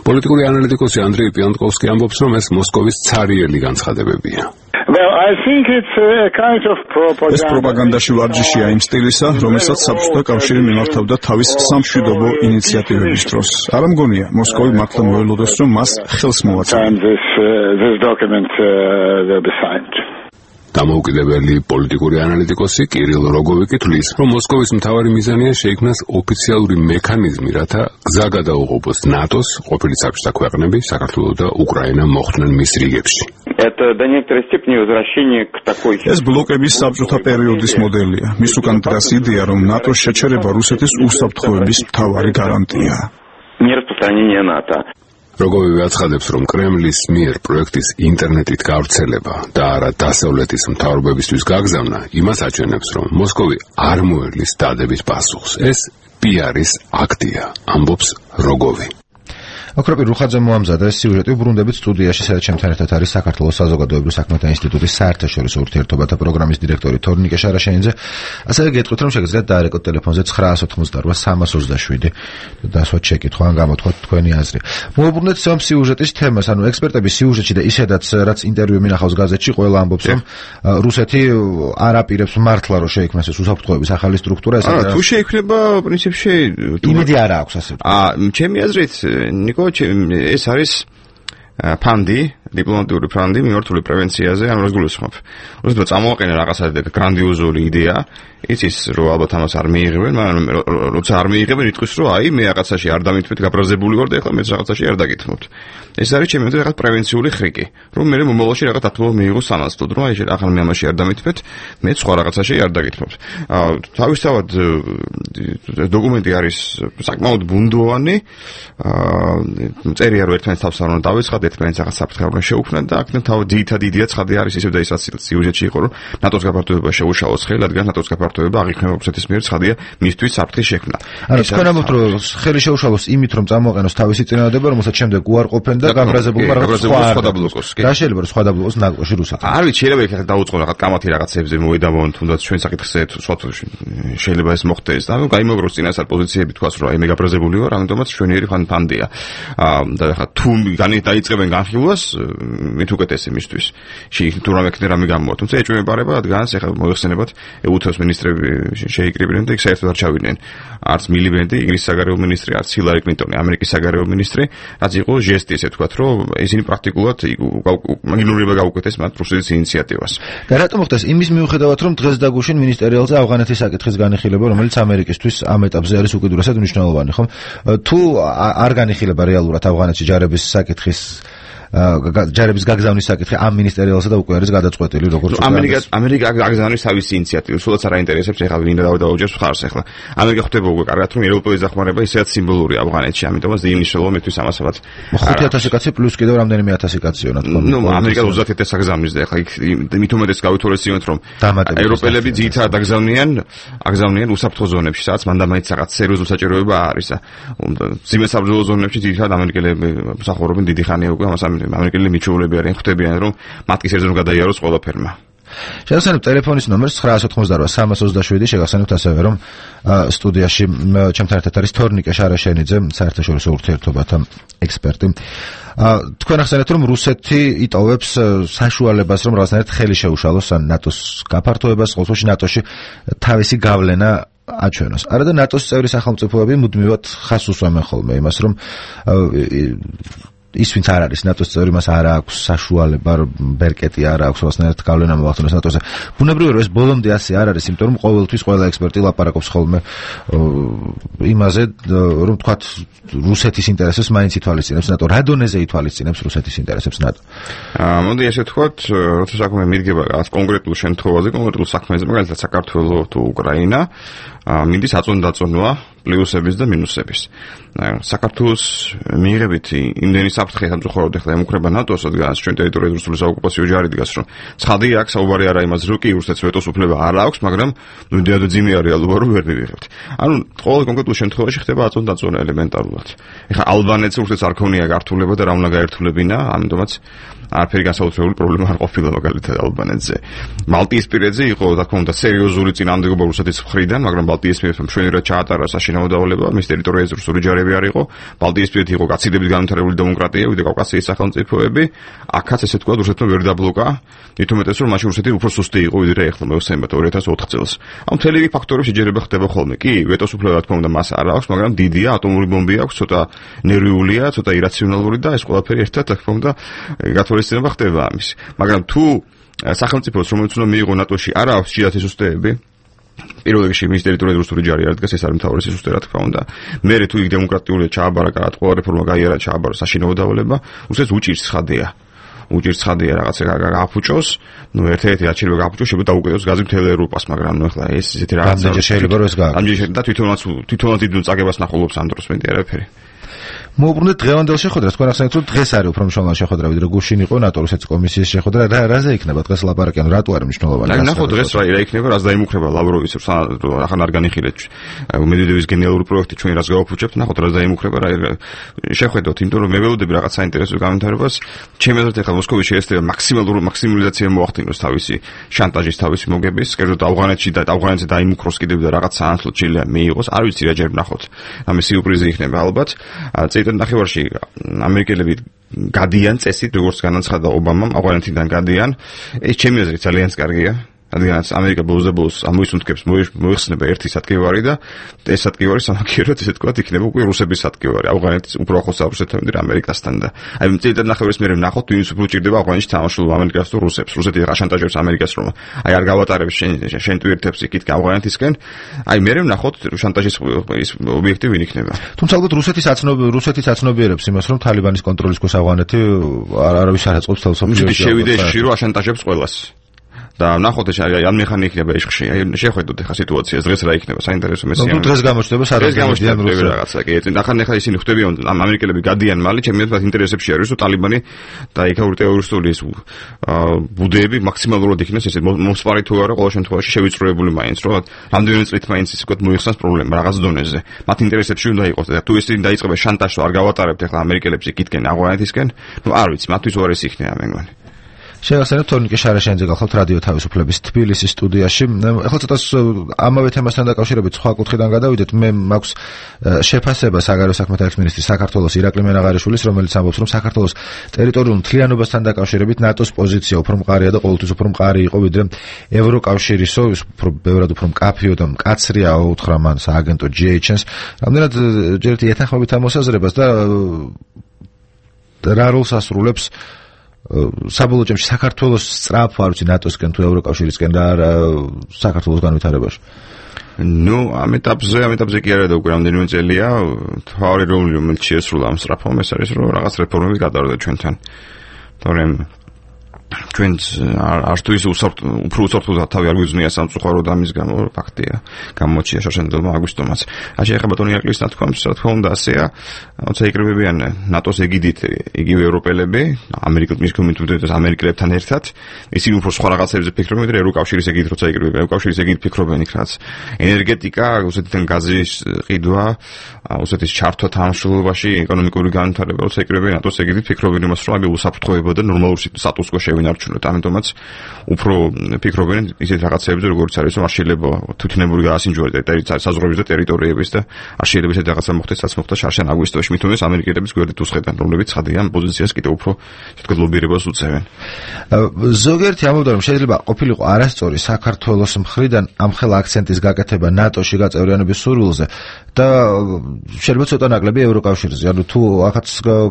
პოლიტიკური ანალიტიკოსი ანდრეი პიანტკოვსკი ამბობს, რომ ეს მოსკოვის ცარიელი განცხადებებია. ეს პროპაგანდაში ვარჯიშია იმ სტილისა, რომელსაც საბჭოთა კავშირი მიმართავდა თავის სამშვიდობო ინიციატივების დროს. არ მგონია, მოსკოვი მართლა მოელოდეს, რომ მას ხელს მოაწოდა. დამოუკიდებელი პოლიტიკური ანალიტიკოსი კირილ როგოვიკი თვლის, რომ მოსკოვის მთავარი მიზანია შეიქმნას ოფიციალური მექანიზმი, რათა გზა გადაუღობოს ნატოს, ყოფილი საბჭოთა ქვეყნები, საქართველო და უკრაინა მოხვდნენ მის რიგებში. ეს ბლოკების საბჭოთა პერიოდის მოდელია. მის უკან დგას იდეა, რომ ნატოს შეჩერება რუსეთის უსაფრთხოების მთავარი გარანტიაა. როგოვი აცხადებს, რომ კრემლის მიერ პროექტის ინტერნეტით გავრცელება და არა დასავლეთის მთავრობებისთვის გაგზავნა იმას აჩვენებს, რომ მოსკოვი არ მოერლის დადების პასუხს. ეს პიარის აქტია, ამბობს როგოვი. აკროპი რუხაძე მოამზადა სიუჟეტი უბრუნდებით სტუდიაში, სადაც ჩემთან ერთად არის საქართველოს საზოგადოებრივ საქმეთა ინსტიტუტის საერთაშორისო ურთიერთობათა პროგრამის დირექტორი თორნიკე შარაშენიძე. ასევე გეტყვით, რომ შეგიძლიათ დაარეკოთ ტელეფონზე 988-327 და ასვათ შეკითხვა ან გამოთქვათ თქვენი აზრი. მოვუბრუნდეთ ამ სიუჟეტის თემას, ანუ ექსპერტები სიუჟეტში და ისედაც რაც ინტერვიუ მინახავს გაზეთში, ყველა ამბობს, რომ რუსეთი არ აპირებს მართლა რომ შეიქმნას ეს უსაფრთხოების ახალი სტრუქტურა, ესეც თუ შეიქმნება პრინციპში იმედი არ აქვს ასე. ჩემი აზრით, ნიკო, ეს არის ფანდი, დიპლომატიური ფანდი მიმართული პრევენციაზე, ანუ რას გულისხმობ. უბრალოდ წამოვაყენე რაღაცა გრანდიოზული იდეა, იცის რომ ალბათ ამას არ მიიღებენ, მაგრამ როცა არ მიიღებენ, იტყვის რომ აი მე რაღაცაში არ დამითმეთ, გაბრაზებული ვარ და ეხლა მეც რაღაცაში არ დაგითმობთ. ეს არის ჩემი აზრით რაღაც პრევენციული ხრიკი, რომ მე მომავალში რაღაც ათმობა მიიღოს სანაცვლოდ, რომ აი ახლა მე ამაში არ დამითმეთ, მე სხვა რაღაცაში არ დაგითმობთ. თავისთავად დოკუმენტი არის საკმაოდ ბუნდოვანი, წერია რომ ერთმანეთს თავს არ უნდა დავეცხადეთ, ერთმანეთს რაღაც საფრთხე უნდა შეუქმნათ და აქ თავი ძირითადი იდეა ცხადი არის ისევ და ის რაც სიუჟეტში იყო, რომ ნატოს გაფართოება შეუშალოს ხელი, რადგან ნატოს გაფართოება აღიქმნება რუსეთის მიერ ცხადია მისთვის საფრთხის შექმნა. ანუ თქვენ ამბობთ, რომ ხელი შეუშალოს იმით, რომ წამოაყენოს თავისი წინადადება, რომელსაც შემდეგ უარყოფენ და გამბრაზებულმა რაღაც სხვა დაბლოკოს. და შეიძლება რომ სხვა დაბლოკოს ნაკლოში რუსეთი. არ ვიცი, შეიძლება იქ დაუწყო რაღაც კამათი რაღაცებზე მოედამონ, თუნდაც ჩვენ საკითხზე სხვა შეიძლება ეს მოხდეს. და გაიმოგროს წინასწარ პოზიციები თქვას, რომ აი მე გაბრაზებული ვარ, ამიტომაც ჩვენიერი ფანდია. და ხა თუ დაიწყებენ განხილვას, მით უკეთესი მისთვის. თუ რამე ქნა რამე გამოვა. თუმცა ეჭვმეპარება რადგანაც ეხლა მოიხსენებათ EU-ს მინისტრები შეიკრიბნენ და იქ საერთოდ არ ჩავიდნენ. არც მილიბენდი, ინგლისის საგარეო მინისტრი, არც ჰილარი კლინტონი, ამერიკის საგარეო მინისტრი, რაც იყო ჟესტი, ესე ვთქვათ, რომ ისინი პრაქტიკულად იგნორირება გაუკეთეს მათ რუსეთის ინიციატივას. და რატომ ხდეს იმის მიუხედავად, რომ დღეს დაგუშინ მინისტერიალზე ავღანეთის საკითხის განხილება, რომელიც ამერიკისთვის ამ ეტაპზე არის უკიდურესად მნიშვნელოვანი, ხომ? თუ არ განიხილება რეალურად ავღანეთში ჯარების საკითხის ჯარების გაგზავნის საკითხი ამ მინისტერიალსა და უკვე არის გადაწყვეტილი როგორც ამერიკა გაგზავნის თავისი ინიციატივა სულაც არ აინტერესებს ეხლა ვინ დავაუჯებს ხარს ეხლა ამერიკა ხვდება უკვე კარგად რომ ევროპელის დახმარება ისედაც სიმბოლურია ავღანეთში ამიტომაც დინიშნულობა მეთვის ამასවත් 5000 კაცი პლუს კიდევ რამდენიმე 1000 კაცი რა თქმა უნდა ამერიკა 30000 აგზავნის და ეხლა იქ მით უმეტეს გავითვალისწინოთ რომ ევროპელები ძირითადად აგზავნიან უსაფრთხო ზონებში სადაც მანდამაინც რაღაც სერიოზული საჭიროება არის ძიმე საბრძოლო ზონებში ძირითადად ამერიკელები მსახურობენ დიდი ხანია უკვე ამას ამერიკელები მიჩვეულები არიან ხვდებიან რომ მათ კი სერიოზულად გადაიაროს ყველაფერმა. შეგახსენებთ ტელეფონის ნომერს 988 შეგახსენებთ ასევე რომ სტუდიაში ჩემთან ერთად არის თორნიკე შარაშენიძე საერთაშორისო ურთიერთობათა ექსპერტი. თქვენ ახსენეთ რომ რუსეთი იტოვებს საშუალებას რომ რაღაცნაირად ხელი შეუშალოს ნატოს გაფართოებას, ყოველთვის ნატოში თავისი გავლენა აჩვენოს. არა და ნატოს წევრი სახელმწიფოები მუდმივად ხას უსვამენ ხოლმე იმას რომ ის ვინც არ არის ნატოს წევრი მას არ აქვს საშუალება ბერკეტი არ აქვს რაღაცნაირად გავლენა მოახდინოს ნატოზე. ბუნებრივია რომ ეს ბოლომდე ასე არ არის, იმიტომ რომ ყოველთვის ყველა ექსპერტი ლაპარაკობს ხოლმე იმაზე რომ თქვათ რუსეთის ინტერესებს მაინც ითვალისწინებს ნატო. რა დონეზე ითვალისწინებს რუსეთის ინტერესებს ნატო? მოდი ესე ვთქვათ, როცა საქმე მიდგება რაღაც კონკრეტულ შემთხვევაზე, კონკრეტულ საქმეზე, მაგალითად საქართველოს თუ უკრაინა, მინდის აწონდაწონვა პლუსების და მინუსების. საქართველოს მიიღებით იმდენი საფრთხე სამწუხაროდ ეხლა ემუქრება ნატოს, რადგან ჩვენ ტერიტორიაზე რუსული საოკუპაციო ჯარი დგას, რომ ცხადია აქ საუბარი არა იმაზე, რომ კი რუსეთს ვეტოს უფლება არ აქვს, მაგრამ ნუდიადო ძიმეა რეალობა, რომ ვერ მივიღებთ. ანუ ყოველ კონკრეტულ შემთხვევაში ხდება აწონდაწონა ელემენტარულად. ეხლა ალბანეთს რუსეთს არ ქონია გართულება და რა უნდა გაერთულებინა, ამიტომაც არაფერი განსაკუთრებული პრობლემა არ ყოფილა მაგალითად ალბანეთზე. მალტიისპირეთზე იყო, რა თქმა უნდა, სერიოზული წინააღმდეგობა რუსეთის მხრიდან, მაგრამ ბალტიისპირეთმა მშვენივრად ჩაატარა საშინაო დავალება, მის ტერიტორიაზე რუსული ჯარები არ იყო. ბალტიისპირეთი იყო გაცილებით განვითარებული დემოკრატია, ვიდრე კავკასიის სახელმწიფოები. აქაც ესე თქვა რუსეთმა ვერ დაბლოკა, მით უმეტეს რომ მაშინ რუსეთი უფრო სუსტი იყო, ვიდრე ეხლა მოვხსენებათ 2004 წელს. ამ მთელი რიგი ფაქტორები შეჯერება ხდება ხოლმე. კი, ვეტოს უფლება რა თქმა უნდა მას არ აქვს, მაგრამ დიდია, ატომური ბომბი აქვს, ცოტა ნერვიულია, ცოტა ირაციონალური და ეს ყველაფერი ერთად რა თქმა უნდა გათვალისწინება ხდება ამის. მაგრამ თუ სახელმწიფოს რომელიც უნდა მიიღო ნატოში არ აქვს ჭიათის უსტეები პირველ რიგში მის ტერიტორიაზე რუსული ჯარი არ დგას, ეს არის მთავარი სისტემა რა თქმა უნდა. მერე თუ იქ დემოკრატიულია ჩააბარა რაღაც ყველა რეფორმა გაიარა ჩააბარა საშინაო დავალება, უსეს უჭირს ხადია. უჭირს ხადია რაღაცა გააფუჭოს, ნუ ერთ-ერთი არჩევა გააფუჭოს, შეიძლება დაუკეთოს გაზი მთელ ევროპას, მაგრამ ნუ ახლა ეს ისეთი რაღაცა შეიძლება რომ ეს გააკეთოს. ამჯერად და თვითონაც დიდ წაგებას ნახულობს ამ დროს მეტი არაფერი. მოუბრუნდეთ დღევანდელ შეხვედრას. თქვენ ახსენეთ რომ დღეს არის უფრო მნიშვნელოვანი შეხვედრა, ვიდრე გუშინ იყო ნატო-რუსეთის კომისიის შეხვედრა. რაზე იქნება დღეს ლაპარაკი, ანუ რატო არის მნიშვნელოვანი? აი ნახოთ დღეს რა იქნება, რაც დაიმუქრება ლავროვის ახან არ განიხილეთ მედვედევის გენერალური პროექტი ჩვენ რაც გავაფუჭებთ, ნახოთ რა დაიმუქრება, რა შეხვედროთ, იმიტომ რომ მე ველოდები რაღაც საინტერესო გამონტარებას. ჩემი აზრით ახლა მოსკოვი შეესწრება მაქსიმალიზაცია მოახდინოს თავისი შანტაჟის, თავისი მოგების, კერძოდ ავღანეთში და ავღანეთზე დაიმუქროს კიდევ და რაღაც საანსლო ჩილე მიიღოს. არ ვიცი რა ჯერ ნახოთ. ამის სიურპრიზი იქნება ალბათ. ნახევარში ამერიკელები გადიან წესით, როგორც განაცხადა ობამამ, ავღანეთიდან გადიან. ეს ჩემი აზრით ძალიან კარგია. რადგანაც ამერიკა ბოლოს ამოისუნთქებს მოიხსნება ერთი სატკივარი და ეს სატკივარი სამაგიეროდ ესე თქვა იქნება უკვე რუსების სატკივარი. ავღანეთის უფრო ახლოს რუსეთთან და ამერიკასთან და აი წელიწად ნახევრის მერე ნახოთ ვინც უფრო ჭირდება ავღანეთში თამაშულობა ამერიკას თუ რუსებს. რუსეთი აშანტაჟებს ამერიკას რომ აი არ გავატარებს შენ ტვირთებს იქით ავღანეთისკენ. აი მერე ნახოთ შანტაჟის ის ობიექტი ვინ იქნება. თუმცა ალბათ რუსეთის აცნობიერებს იმას რომ თალიბანის კონტროლის ქვეშ ავღანეთი არავის არ აწყობს თელ სოფლიოში. შევიდა ისში რომ აშანტაჟებს ყველას. და ნახოთ ეს ან მეხანი იქნება ეშხში. აი შეხვედროთ ახლა სიტუაციას დღეს რა იქნება საინტერესო მესია. ნუ დღეს გამოჩნდება სადღაც რაღაცა კი ეცენ ახლა ისინი ხვდებიან ამ ამერიკელები გადიან მალე ჩემი აზრით ინტერესებში არის რომ ტალიბანი და იქაური ტერორისტული ეს ბუდეები მაქსიმალურად იქნას ესე მოსპარი თუ არა ყოველ შემთხვევაში შევიწროებული მაინც რომ რამდენიმე წლით მაინც ისე ვქოთ მოიხსნას პრობლემა რაღაც დონეზე. მათ ინტერესებში უნდა იყოს და თუ ისინი დაიწყება შანტაჟს არ გავატარებთ ახლა ამერიკელებს იქითკენ ავღანეთისკენ ნუ არ ვიცი მათთვის უარესი იქნება მე მგონი. შევახსენებთ თორნიკე შარაშენიძე გახლავთ რადიო თავისუფლების თბილისის სტუდიაში. ახლა ცოტა ამავე თემასთან დაკავშირებით სხვა კუთხიდან გადავიდეთ. მე მაქვს შეფასება საგარეო საქმეთა ერთმინისტრის საქართველოს ირაკლი მენაღარიშვილის, რომელიც ამბობს, რომ საქართველოს ტერიტორიულ მთლიანობასთან დაკავშირებით ნატოს პოზიცია უფრო მყარია და ყოველთვის უფრო მყარი იყო ვიდრე ევროკავშირისო, ის უფრო ბევრად უფრო მკაფიო და მკაცრია უთხრა მან სააგენტო GHN-ს. რამდენად ჯერეთი ეთანხმებით ამ მოსაზრებას და რა როლს ასრულებს საბოლოო ჯამში საქართველოს სწრაფ არ ვიცი ნატოსკენ თუ ევროკავშირისკენ და საქართველოს განვითარებაში. ამ ეტაპზე კი არა და უკვე რამდენიმე წელია თავი რომელიც შეესრულა ამ სწრაფობამ ეს არის რომ რაღაც რეფორმები გადავარდა ჩვენთან. თორემ ჩვენც არც თუ ის უფრო უსაფრთხო თავი არ გვიძნია სამწუხაროდ ამის გამო ფაქტია გამოჩია შარშენძელმა აგვისტომაც. ეხება ბატონი ირაკლის ნათქვამს რა თქმა უნდა ასეა, როცა იკრიბებიან ნატოს ეგიდით იგივე ევროპელები, ამერიკელებთან ერთად, ისინი უფრო სხვა რაღაცებზე ფიქრობენ, ვიდრე ევროკავშირის ეგიდით როცა იკრიბებიან, ევროკავშირის ეგიდით ფიქრობენ იქ რაც ენერგეტიკა, რუსეთიდან გაზის ყიდვა, რუსეთის ჩართვა თანამშრომლობაში, ეკონომიკური განვითარება, როცა იკრიბებიან ნატოს ეგიდით ფიქრობენ იმას, რომ აი უსაფრთხოება და ნორმალური სტატუს-კვო შევინარჩუნოთ, ამიტომაც უფრო ფიქრობენ ისეთ რაღაცებზე, როგორც არის რომ არ შეიძლება თვითნებური გაასინჯოს საზღვრების და ტერიტორიების და არ შეიძლება ისეთ რაღაცა მოხდეს, რაც მოხდა შარშან აგვისტოში, მით უმეტეს ამერიკელების გვერდით უსხედან, რომლებიც ხადიან პოზიციას კიდევ უფრო თქო ლობირებას უწევენ. ზოგიერთი ამბობდა რომ შეიძლება ყოფილიყო არასწორი საქართველოს მხრიდან ამხელა აქცენტის გაკეთება ნატოში გაწევრიანების სურვილზე და შეიძლება ცოტა ნაკლები ევროკავშირზე. ანუ თუ ახაც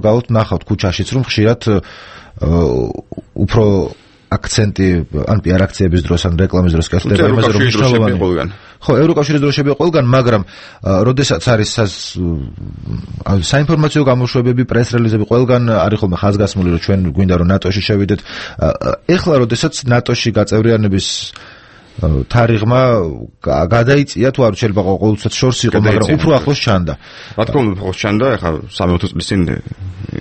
გავთ ნახავთ ქუჩაშიც რომ ხშირად უფრო აქცენტი ან პიარ აქციების დროს ან რეკლამის დროს კეთდება იმაზე რომ მნიშვნელოვანი ხო ევროკავშირის დროშები ყველგან, მაგრამ როდესაც არის საინფორმაციო გამოშვებები, პრეს-რელიზები ყველგან არის ხოლმე ხაზგასმული რომ ჩვენ გვინდა რომ ნატოში შევიდეთ. ეხლა როდესაც ნატოში გაწევრიანების თარიღმა გადაიწია თუ არ შეიძლება ყოველთვის შორს იყო, მაგრამ უფრო ახლოს ჩანდა. რა თქმა უნდა, ახლოს ჩანდა, ეხლა 3-4 წლის წინ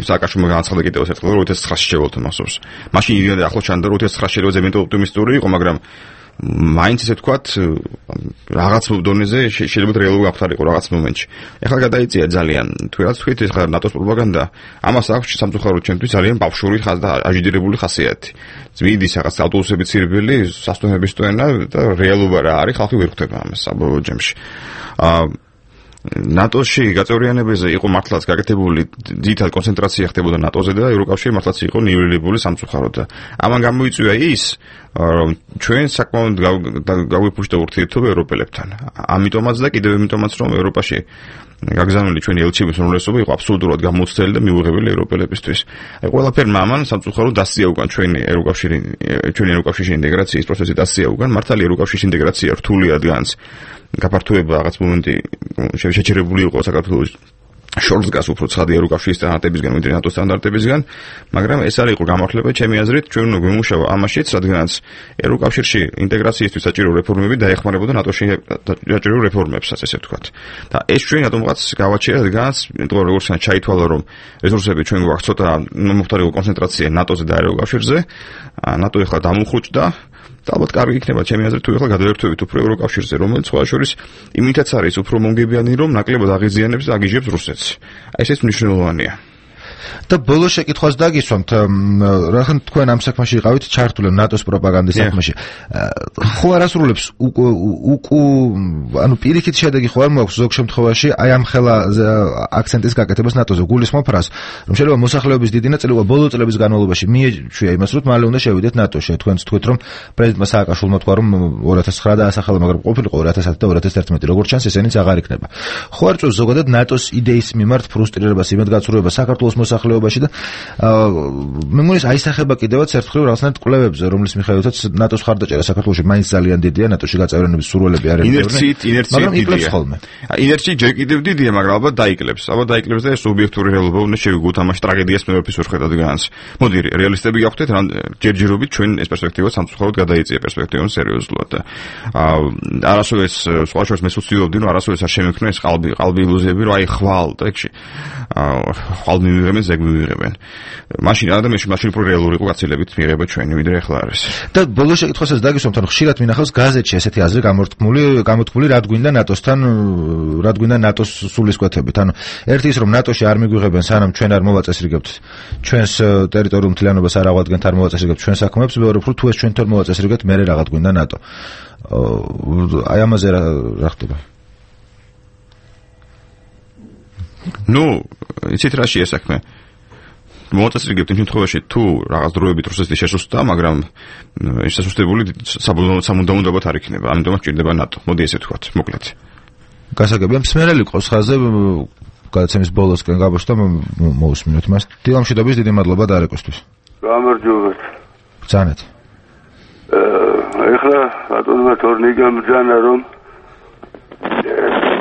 სააკაშვილმა განაცხადა კიდევ ერთხელ რომ 2009-ში შევალთ მასობს. მაშინ იდეა ახლა ჩანდა რომ 2009-ში შეიძლება ზემოდან ოპტიმისტური იყო, მაგრამ მაინც ესე ვთქვათ რაღაც დონეზე შეიძლება რეალური აღთარიყო რაღაც მომენტში. ეხლა გადაიწია ძალიან. თუ რაც თქვით, ეხლა ნატოს პროპაგანდა ამას აქვს სამწუხაროდ ჩვენთვის ძალიან ბავშვური და აჟიდირებული ხასიათი. ძვიდის რაღაც ავტობუსების ცირბილი, სასტუმროების ტვენა და რეალობა რა არის, ხალხი ვერ ხვდება ამას საბოლოო ჯამში. ნატოში გაწევრიანებაზე იყო მართლაც გაკეთებული ძირითად კონცენტრაცია ხდებოდა ნატოზე და ევროკავშირი მართლაც იყო ნიველირებული სამწუხაროდ და ამან გამოიწვია ის რომ ჩვენ საკმაოდ გავიფუშტა ურთიერთობა ევროპელებთან. ამიტომაც და კიდევ იმიტომაც რომ ევროპაში გაგზავნილი ჩვენი ელჩების უმრავლესობა იყო აბსოლუტურად გამოცდილი და მიუღებელი ევროპელებისთვის. აი ყველაფერმა ამან სამწუხაროდ დასწია უკან ჩვენი ევროკავშირის ინტეგრაციის პროცესი დასწია უკან. მართალი ევროკავშირის ინტეგრაცია რთული ადგანს გაფართოება რაღაც მომენტი შეჩერებული იყო საქართველოს შორს გას უფრო ცხადი ევროკავშირის სტანდარტებისგან, ვიდრე ნატოს სტანდარტებისგან, მაგრამ ეს არ იყო გამართლება ჩემი აზრით, ჩვენ უნდა გვიმუშავა ამაშიც, რადგანაც ევროკავშირში ინტეგრაციისთვის საჭირო რეფორმები დაეხმარებოდა ნატოში საჭირო რეფორმებსაც, ესე ვთქვათ. და ეს ჩვენ რატომღაც გავაჩერეთ, რადგანაც როგორც ჩაითვალა, რომ რესურსები ჩვენ გვაქვს ცოტა მომხდარიყო კონცენტრაცია ნატოზე და ევროკავშირზე, ნატო ეხლა დამუხრუჭდა და ალბათ კარგი იქნება ჩემი აზრით თუ ეხლა გადავერთვებით უფრო ევროკავშირზე, რომელიც სხვა შორის იმითაც არის უფრო მომგებიანი, რომ ნაკლებად აღიზიანებს და აგიჟებს რუსეთს. ესეც მნიშვნელოვანია. და ბოლოს შეკითხვას დაგისვამთ, რახან თქვენ ამ საქმეში იყავით ჩართული ნატოს პროპაგანდის საქმეში. ხო არ ასრულებს ანუ პირიქით შედეგი ხო არ მოაქვს ზოგ შემთხვევაში აი ამ ხელა აქცენტის გაკეთებას ნატოზე. გულისხმობ რას, რომ შეიძლება მოსახლეობის დიდი ნაწილი ბოლო წლების განმავლობაში მიეჩვია იმას, რომ მალე უნდა შევიდეთ ნატოში. თქვენც თქვით, რომ პრეზიდენტმა სააკაშვილმა თქვა, რომ 2009 დაასახელა, მაგრამ ყოფილიყო 2010 და 2011. როგორც ჩანს, ესენიც აღარ იქნება. ხო არ წევს ზოგადად ნატოს იდეის მიმართ ფრუსტრირებას, იმედგაცრუებას საქართველოს მოსახლეობაში და მე მგონი აისახება კიდევაც ერთხელ რაღაცნაირად კვლევებზე, რომლის მიხედვითაც ნატოს ხარდაჭერა საქართველოში მაინც ძალიან დიდია, ნატოში გაწევრიანების სურვილები არ ინერციით მაგრამ იკლებს ხოლმე. ინერცია ჯერ კიდევ დიდია, მაგრამ ალბათ დაიკლებს. ალბათ დაიკლებს და ეს ობიექტური რეალობა უნდა შევიგოთ ამაში ტრაგედიას მე ვერაფერს ვერ ხედავ განს. მოდი რეალისტები გავხდეთ, ჯერჯერობით ჩვენ ეს პერსპექტივა სამწუხაროდ გადაიწია პერსპექტივას სერიოზულად და არასოდეს სხვა შორის მე ვცდილობდი, რომ არასოდეს არ შემექნა ეს ყალბი ილუზიები, რომ აი ხვალ ტექში ხვალ მივიღე ადამიანს ზეგ მივიღებენ. მაშინ ადამიანში მაშინ უფრო რეალური იყო გაცილებით მიიღება ჩვენი ვიდრე ახლა არის. და ბოლოს შეკითხვასაც დაგისვამთ, რომ ხშირად მინახავს გაზეთში ესეთი აზრი გამოთქმული, რად გვინდა ნატოსთან, რად გვინდა ნატოს სულისკვეთებით. ანუ ერთი ის რომ ნატოში არ მიგვიღებენ, სანამ ჩვენ არ მოვაწესრიგებთ ჩვენს ტერიტორიულ მთლიანობას არ აღვადგენთ, არ მოვაწესრიგებთ ჩვენ საქმეებს, მეორე უფრო თუ ეს ჩვენ თორ მოვაწესრიგებთ, მე რაღაც გვინდა ნატო. აი ამაზე რა ხდება? ნუ, იცით რა შეესაქმე? მოაწესრიგებთ იმ შემთხვევაში თუ რაღაც დროებით რუსეთი შესუსტა, მაგრამ ეს შესუსტებული სამუდამოდ არ იქნება. ამიტომაც ჭირდება ნატო. მოდი ესე ვთქვათ, მოკლედ. გასაგებია მსმენელი ყავს ხაზზე გადაცემის ბოლოსკენ გაბოშდა მოусმინოთ მას. დილამშვიდობის დიდი მადლობა დარეკოსთვის. გამარჯობათ. ბრძანეთ. ეხლა ბატონმა თორნი გამბრძანა რომ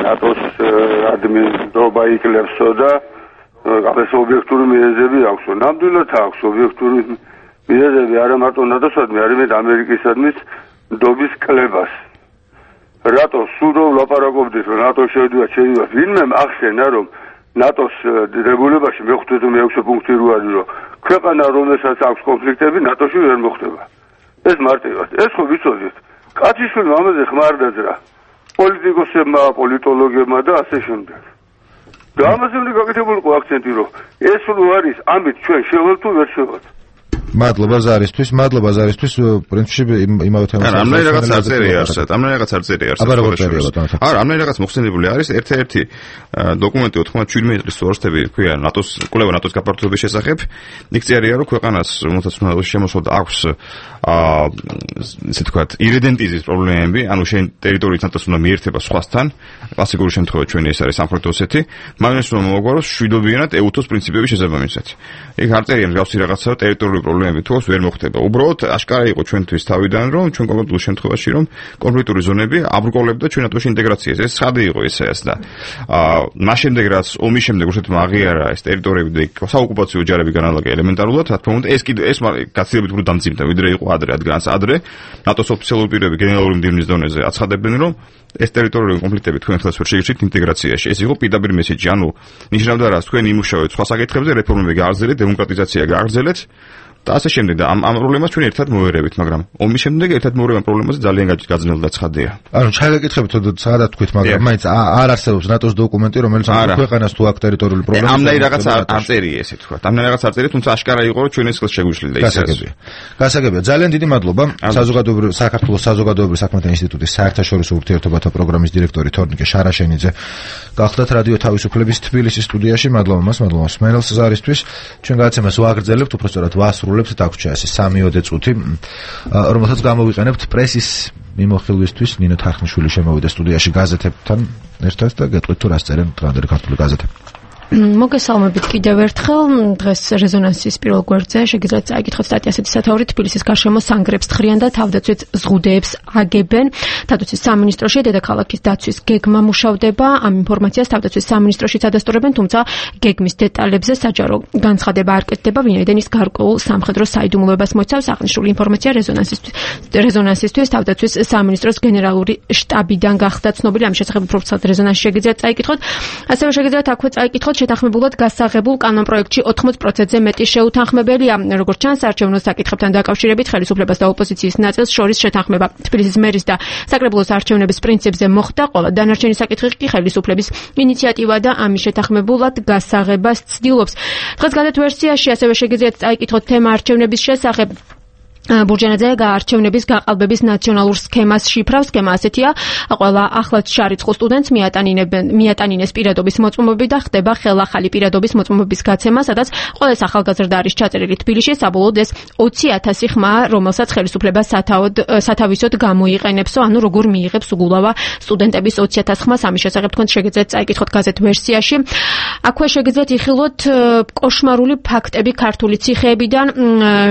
ნატოს ადმინისტრობა იკლებსო და ეს ობიექტური მიზეზები აქვს. ნამდვილად აქვს ობიექტური მიზეზები არა მარტო ნატოსადმი, არამედ ამერიკისადმის ნდობის კლებას. რატო სულ რომ ლაპარაკობდით რომ ნატო შეიძლება ვინმე ახსენა რომ ნატოს რეგულირებაში მეხუთე თუ მეექვსე პუნქტი რო არის რომ ქვეყანა რომელსაც აქვს კონფლიქტები ნატოში ვერ მოხდება. ეს მარტივად. ეს ხო ვიცოდით. კაცისული ამაზე ხმარ დაძრა. პოლიტიკოსებმა, პოლიტოლოგებმა და ასე შემდეგ. და ამაზე უნდა გაკეთებული ყო აქცენტი რომ ეს რო არის ამით ჩვენ შევალ თუ ვერ შევალ. მადლობა ზარისთვის, პრინციპში იმავე თემას. არა, ამნაირ რაღაც არ წერია არსად. აბა როგორ წერია ბატონო? არა, ამნაირ რაღაც მოხსენებული არის ერთ-ერთი დოკუმენტი 97 წლის სურსტები ქვია ნატოს კვლევა ნატოს გაფართოების შესახებ. იქ წერია რომ ქვეყანას რომელსაც უნდა შემოსვლა აქვს ესე ვთქვათ, ირიდენტიზის პრობლემები, ანუ შენ ტერიტორიით ნატოს უნდა მიერთება სხვასთან. კლასიკური შემთხვევა ჩვენი ეს არის სამხრეთ ოსეთი, მაგრამ ეს რომ მოგვაროს შვიდობიანად ეუთოს პრინციპების შესაბამისად. იქ არ წერია მსგავსი რაღაცა ტერიტორიული პრობლემები თუ ვერ მოხდება. უბრალოდ აშკარა იყო ჩვენთვის თავიდან რომ ჩვენ კონკრეტულ შემთხვევაში რომ კონფლიქტური ზონები აბრკოლებდა ჩვენ ნატოში ინტეგრაციას. ეს ცხადი იყო ეს და მას შემდეგ რაც ომის შემდეგ რუსეთმა აღიარა ეს ტერიტორიები და საოკუპაციო ჯარები განალაგა ელემენტარულად, რა თქმა უნდა ეს გაცილებით უფრო დამძიმდა ვიდრე იყო ადრე, რადგან ადრე ნატოს ოფიციალური პირები გენერალური მდივნის დონეზე აცხადებდნენ რომ ეს ტერიტორიული კონფლიქტები თქვენ ხელს ვერ შეირჩით ინტეგრაციაში. ეს იყო პირდაპირ მესეჯი, ანუ ნიშნავდა რა, თქვენ იმუშავეთ სხვა საკითხებზე, რეფორმები გააგრძელეთ, დემოკრატიზაცია გააგრძელეთ და ასე შემდეგ და ამ პრობლემას ჩვენ ერთად მოვერევით, მაგრამ ომის შემდეგ ერთად მოვერევა პრობლემაზე ძალიან გაძნელდა ცხადია. ანუ ჩაგეკითხებით, სადაც თქვით, მაგრამ მაინც არ არსებობს ნატოს დოკუმენტი, რომელიც ქვეყანას თუ აქ ტერიტორიული პრობლემა. ამნაირ რაღაც არ წერია ესე თქვა. ამნაირ რაღაც არ წერია, თუმცა აშკარა იყო, რომ ჩვენ ეს ხელს შეგვიშლიდა ისე. გასაგებია. ძალიან დიდი მადლობა. საქართველოს საზოგადოებრივი საქმეთა ინსტიტუტის საერთაშორისო ურთიერთობათა პროგრამის დირექტორი თორნიკე შარაშენიძე. გახლდათ რადიო თავისუფლების თბილისის სტუდიაში. მადლობა მას, მადლობა მსმენელს ზარისთვის. ჩვენ გადაცემას ვაგრძელებთ, უпростоრად ვასრულებთ, დაგვრჩა ეს 3-4 წუთი, რომელსაც გამოვიყენებთ პრესის მიმოხილვისთვის. ნინო თარხნიშვილი შემოვიდა სტუდიაში გაზეთებთან ერთად და გეტყვით თუ რას წერენ დღევანდელი ქართული გაზეთები. მოგესალმებით კიდევ ერთხელ. დღეს რეზონანსის პირველ გვერდზე შეგიძლიათ წაიკითხოთ სტატია ასეთი სათაურით: თბილისის გარშემო სანგრებს თხრიან და თავდაცვით ზღუდეებს აგებენ. თავდაცვის სამინისტროში დედაქალაქის დაცვის გეგმა მუშავდება. ამ ინფორმაციას თავდაცვის სამინისტროშიც ადასტურებენ, თუმცა გეგმის დეტალებზე საჯარო განცხადება არ კეთდება, ვინაიდან ის გარკვეულ სამხედრო საიდუმლოებას მოიცავს. აღნიშნული ინფორმაცია რეზონანსისთვის თავდაცვის სამინისტროს გენერალური შტაბიდან გახდა ცნობილი. ამის შესახებ უფრო ცალ რეზონანსში შეგიძლიათ წაიკითხოთ. ასევე შეგიძლიათ აქვე წაიკითხოთ შეთანხმებულად გასაღებულ კანონპროექტში 80%-ზე მეტი შეუთანხმებელია. როგორც ჩანს, არჩევნო საკითხებთან დაკავშირებით ხელისუფლებას და ოპოზიციის ნაწილს შორის შეთანხმება თბილისის მერის და საკრებულოს არჩევნების პრინციპზე მოხდა. ყველა დანარჩენი საკითხი კი ხელისუფლების ინიციატივა და ამის შეთანხმებულად გასაღებას ცდილობს. დღეს გადათ ვერსიაში ასევე შეგიძლიათ წაიკითხოთ თემა არჩევნების შესახებ. ბურჯანაძე არჩევნების გაყალბების ნაციონალურ სქემას შიფრავს. სქემა ასეთია: ყველა ახლად შარიცხულ სტუდენტს მიატანინეს პირადობის მოწმობები და ხდება ხელახალი პირადობის მოწმობების გაცემა, სადაც ყველა ახალგაზრდა არის ჩაწერილი თბილისში. საბოლოოდ ეს 20,000 ხმაა, რომელსაც ხელისუფლება სათავისოდ გამოიყენებსო, ანუ როგორ მიიღებს უგულავა სტუდენტების 20,000 ხმას. ამის შესახებ თქვენ შეგიძლიათ წაიკითხოთ გაზეთ ვერსიაში. აქვე შეგიძლიათ იხილოთ კოშმარული ფაქტები ქართული ციხეებიდან.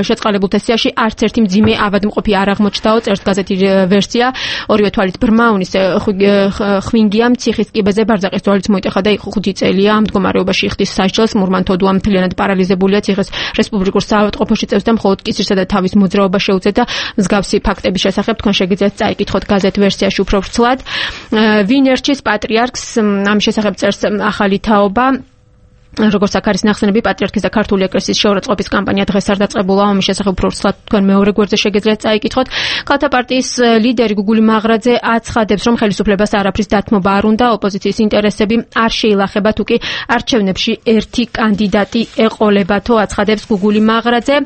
შეწყალებულ თესიაში არც ერთი მძიმე ავადმყოფი არ აღმოჩნდაო, წერს გაზეთი ვერსია. ორივე თვალით ბრმაუნის ხვინგია ციხის კიბეზე ბარძაყის თვალით მოიტეხა და იყო 5 წელია ამ მდგომარეობაში ხდის სასჯელს. მურმანთოდუა მთლიანად პარალიზებულია, ციხეს რესპუბლიკურ საავადმყოფოში წევს და მხოლოდ კისრსა და თავის მოძრაობა შეუძლია და მსგავსი ფაქტების შესახებ თქვენ შეგიძლიათ წაიკითხოთ გაზეთ ვერსიაში უფრო ვრცლად. ვინ ერჩის პატრიარქს, ამ შესახებ წერს ახალი თაობა. როგორც აქ არის ნახსენები, პატრიარქის და ქართული ეკლესიის შეურაცხყოფის კამპანია დღეს არ დაწყებულა, ამის შესახებ უფრო ცუდად თქვენ მეორე გვერდზე შეგიძლიათ წაიკითხოთ. ქალთა პარტიის ლიდერი გუგული მაღრაძე აცხადებს, რომ ხელისუფლებას არაფრის დათმობა არ უნდა, ოპოზიციის ინტერესები არ შეილახება, თუკი არჩევნებში ერთი კანდიდატი ეყოლებათო, აცხადებს გუგული მაღრაძე.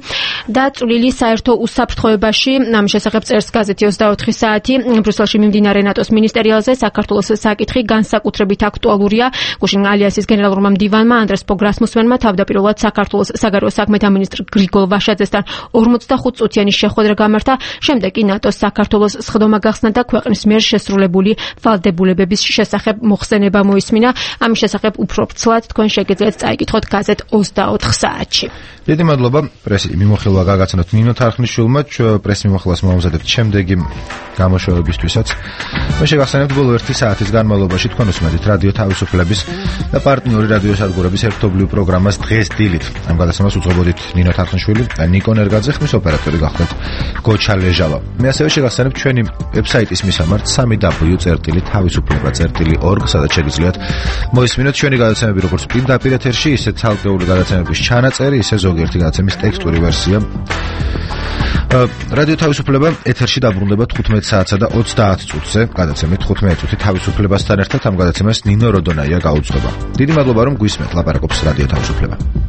და წვლილი საერთო უსაფრთხოებაში, ამის შესახებ წერს გაზეთი 24 საათი. ბრიუსელში მიმდინარე ნატოს მინისტერიალზე საქართველოს საკითხი განსაკუთრებით აქტუალურია. გუშინ ალიანსის გენერალურმა მდივანმა ანდრეს პოგრასმუსმენმა თავდაპირველად საქართველოს საგარეო საქმეთა მინისტრ გრიგოლ ვაშაძესთან 45 წუთიანი შეხვედრა გამართა, შემდეგ კი ნატოს საქართველოს სხდომა გახსნა და ქვეყნის მიერ შესრულებული ვალდებულებების შესახებ მოხსენება მოისმინა. ამის შესახებ უფრო ცვლად თქვენ შეგიძლიათ წაიკითხოთ გაზეთ 24 საათში. დიდი მადლობა პრესი მიმოხილვა გაგაცნოთ ნინო თარხნიშვილმა, პრეს მიმოხილვას მოამზადებთ შემდეგი გამოშვებებისთვისაც. მე შეგახსენებთ ბოლო 1 საათის განმავლობაში თქვენ უსმენთ რადიო თავისუფლების და პარტნიორი რადიო სადგურების ერთობლივ პროგრამას დღეს დილით. ამ გადაცემას უძღვებოდით ნინო თარხნიშვილი, ნიკო ნერგაძე, ხმის ოპერატორი გახლდათ გოჩა ლეჟავა. მე ასევე შეგახსენებთ ჩვენი ვებსაიტის მისამართ www.tavisufleba.org, სადაც შეგიძლიათ მოისმინოთ ჩვენი გადაცემები როგორც პირდაპირ ეთერში, ისე ცალკეული გადაცემების ჩანაწერი, ისე ზოგიერთი გადაცემის ტექსტური ვერსია. რადიო თავისუფლება ეთერში დაბრუნდება 15 საათსა და 30 წუთზე, გადაცემით 15 წუთი თავისუფლებასთან ერთად ამ გადაცემას ნინო როდონაია გაუძღვება. დიდი მადლობა რომ გვისმენთ, ლაპარაკობს რადიო თავისუფლება.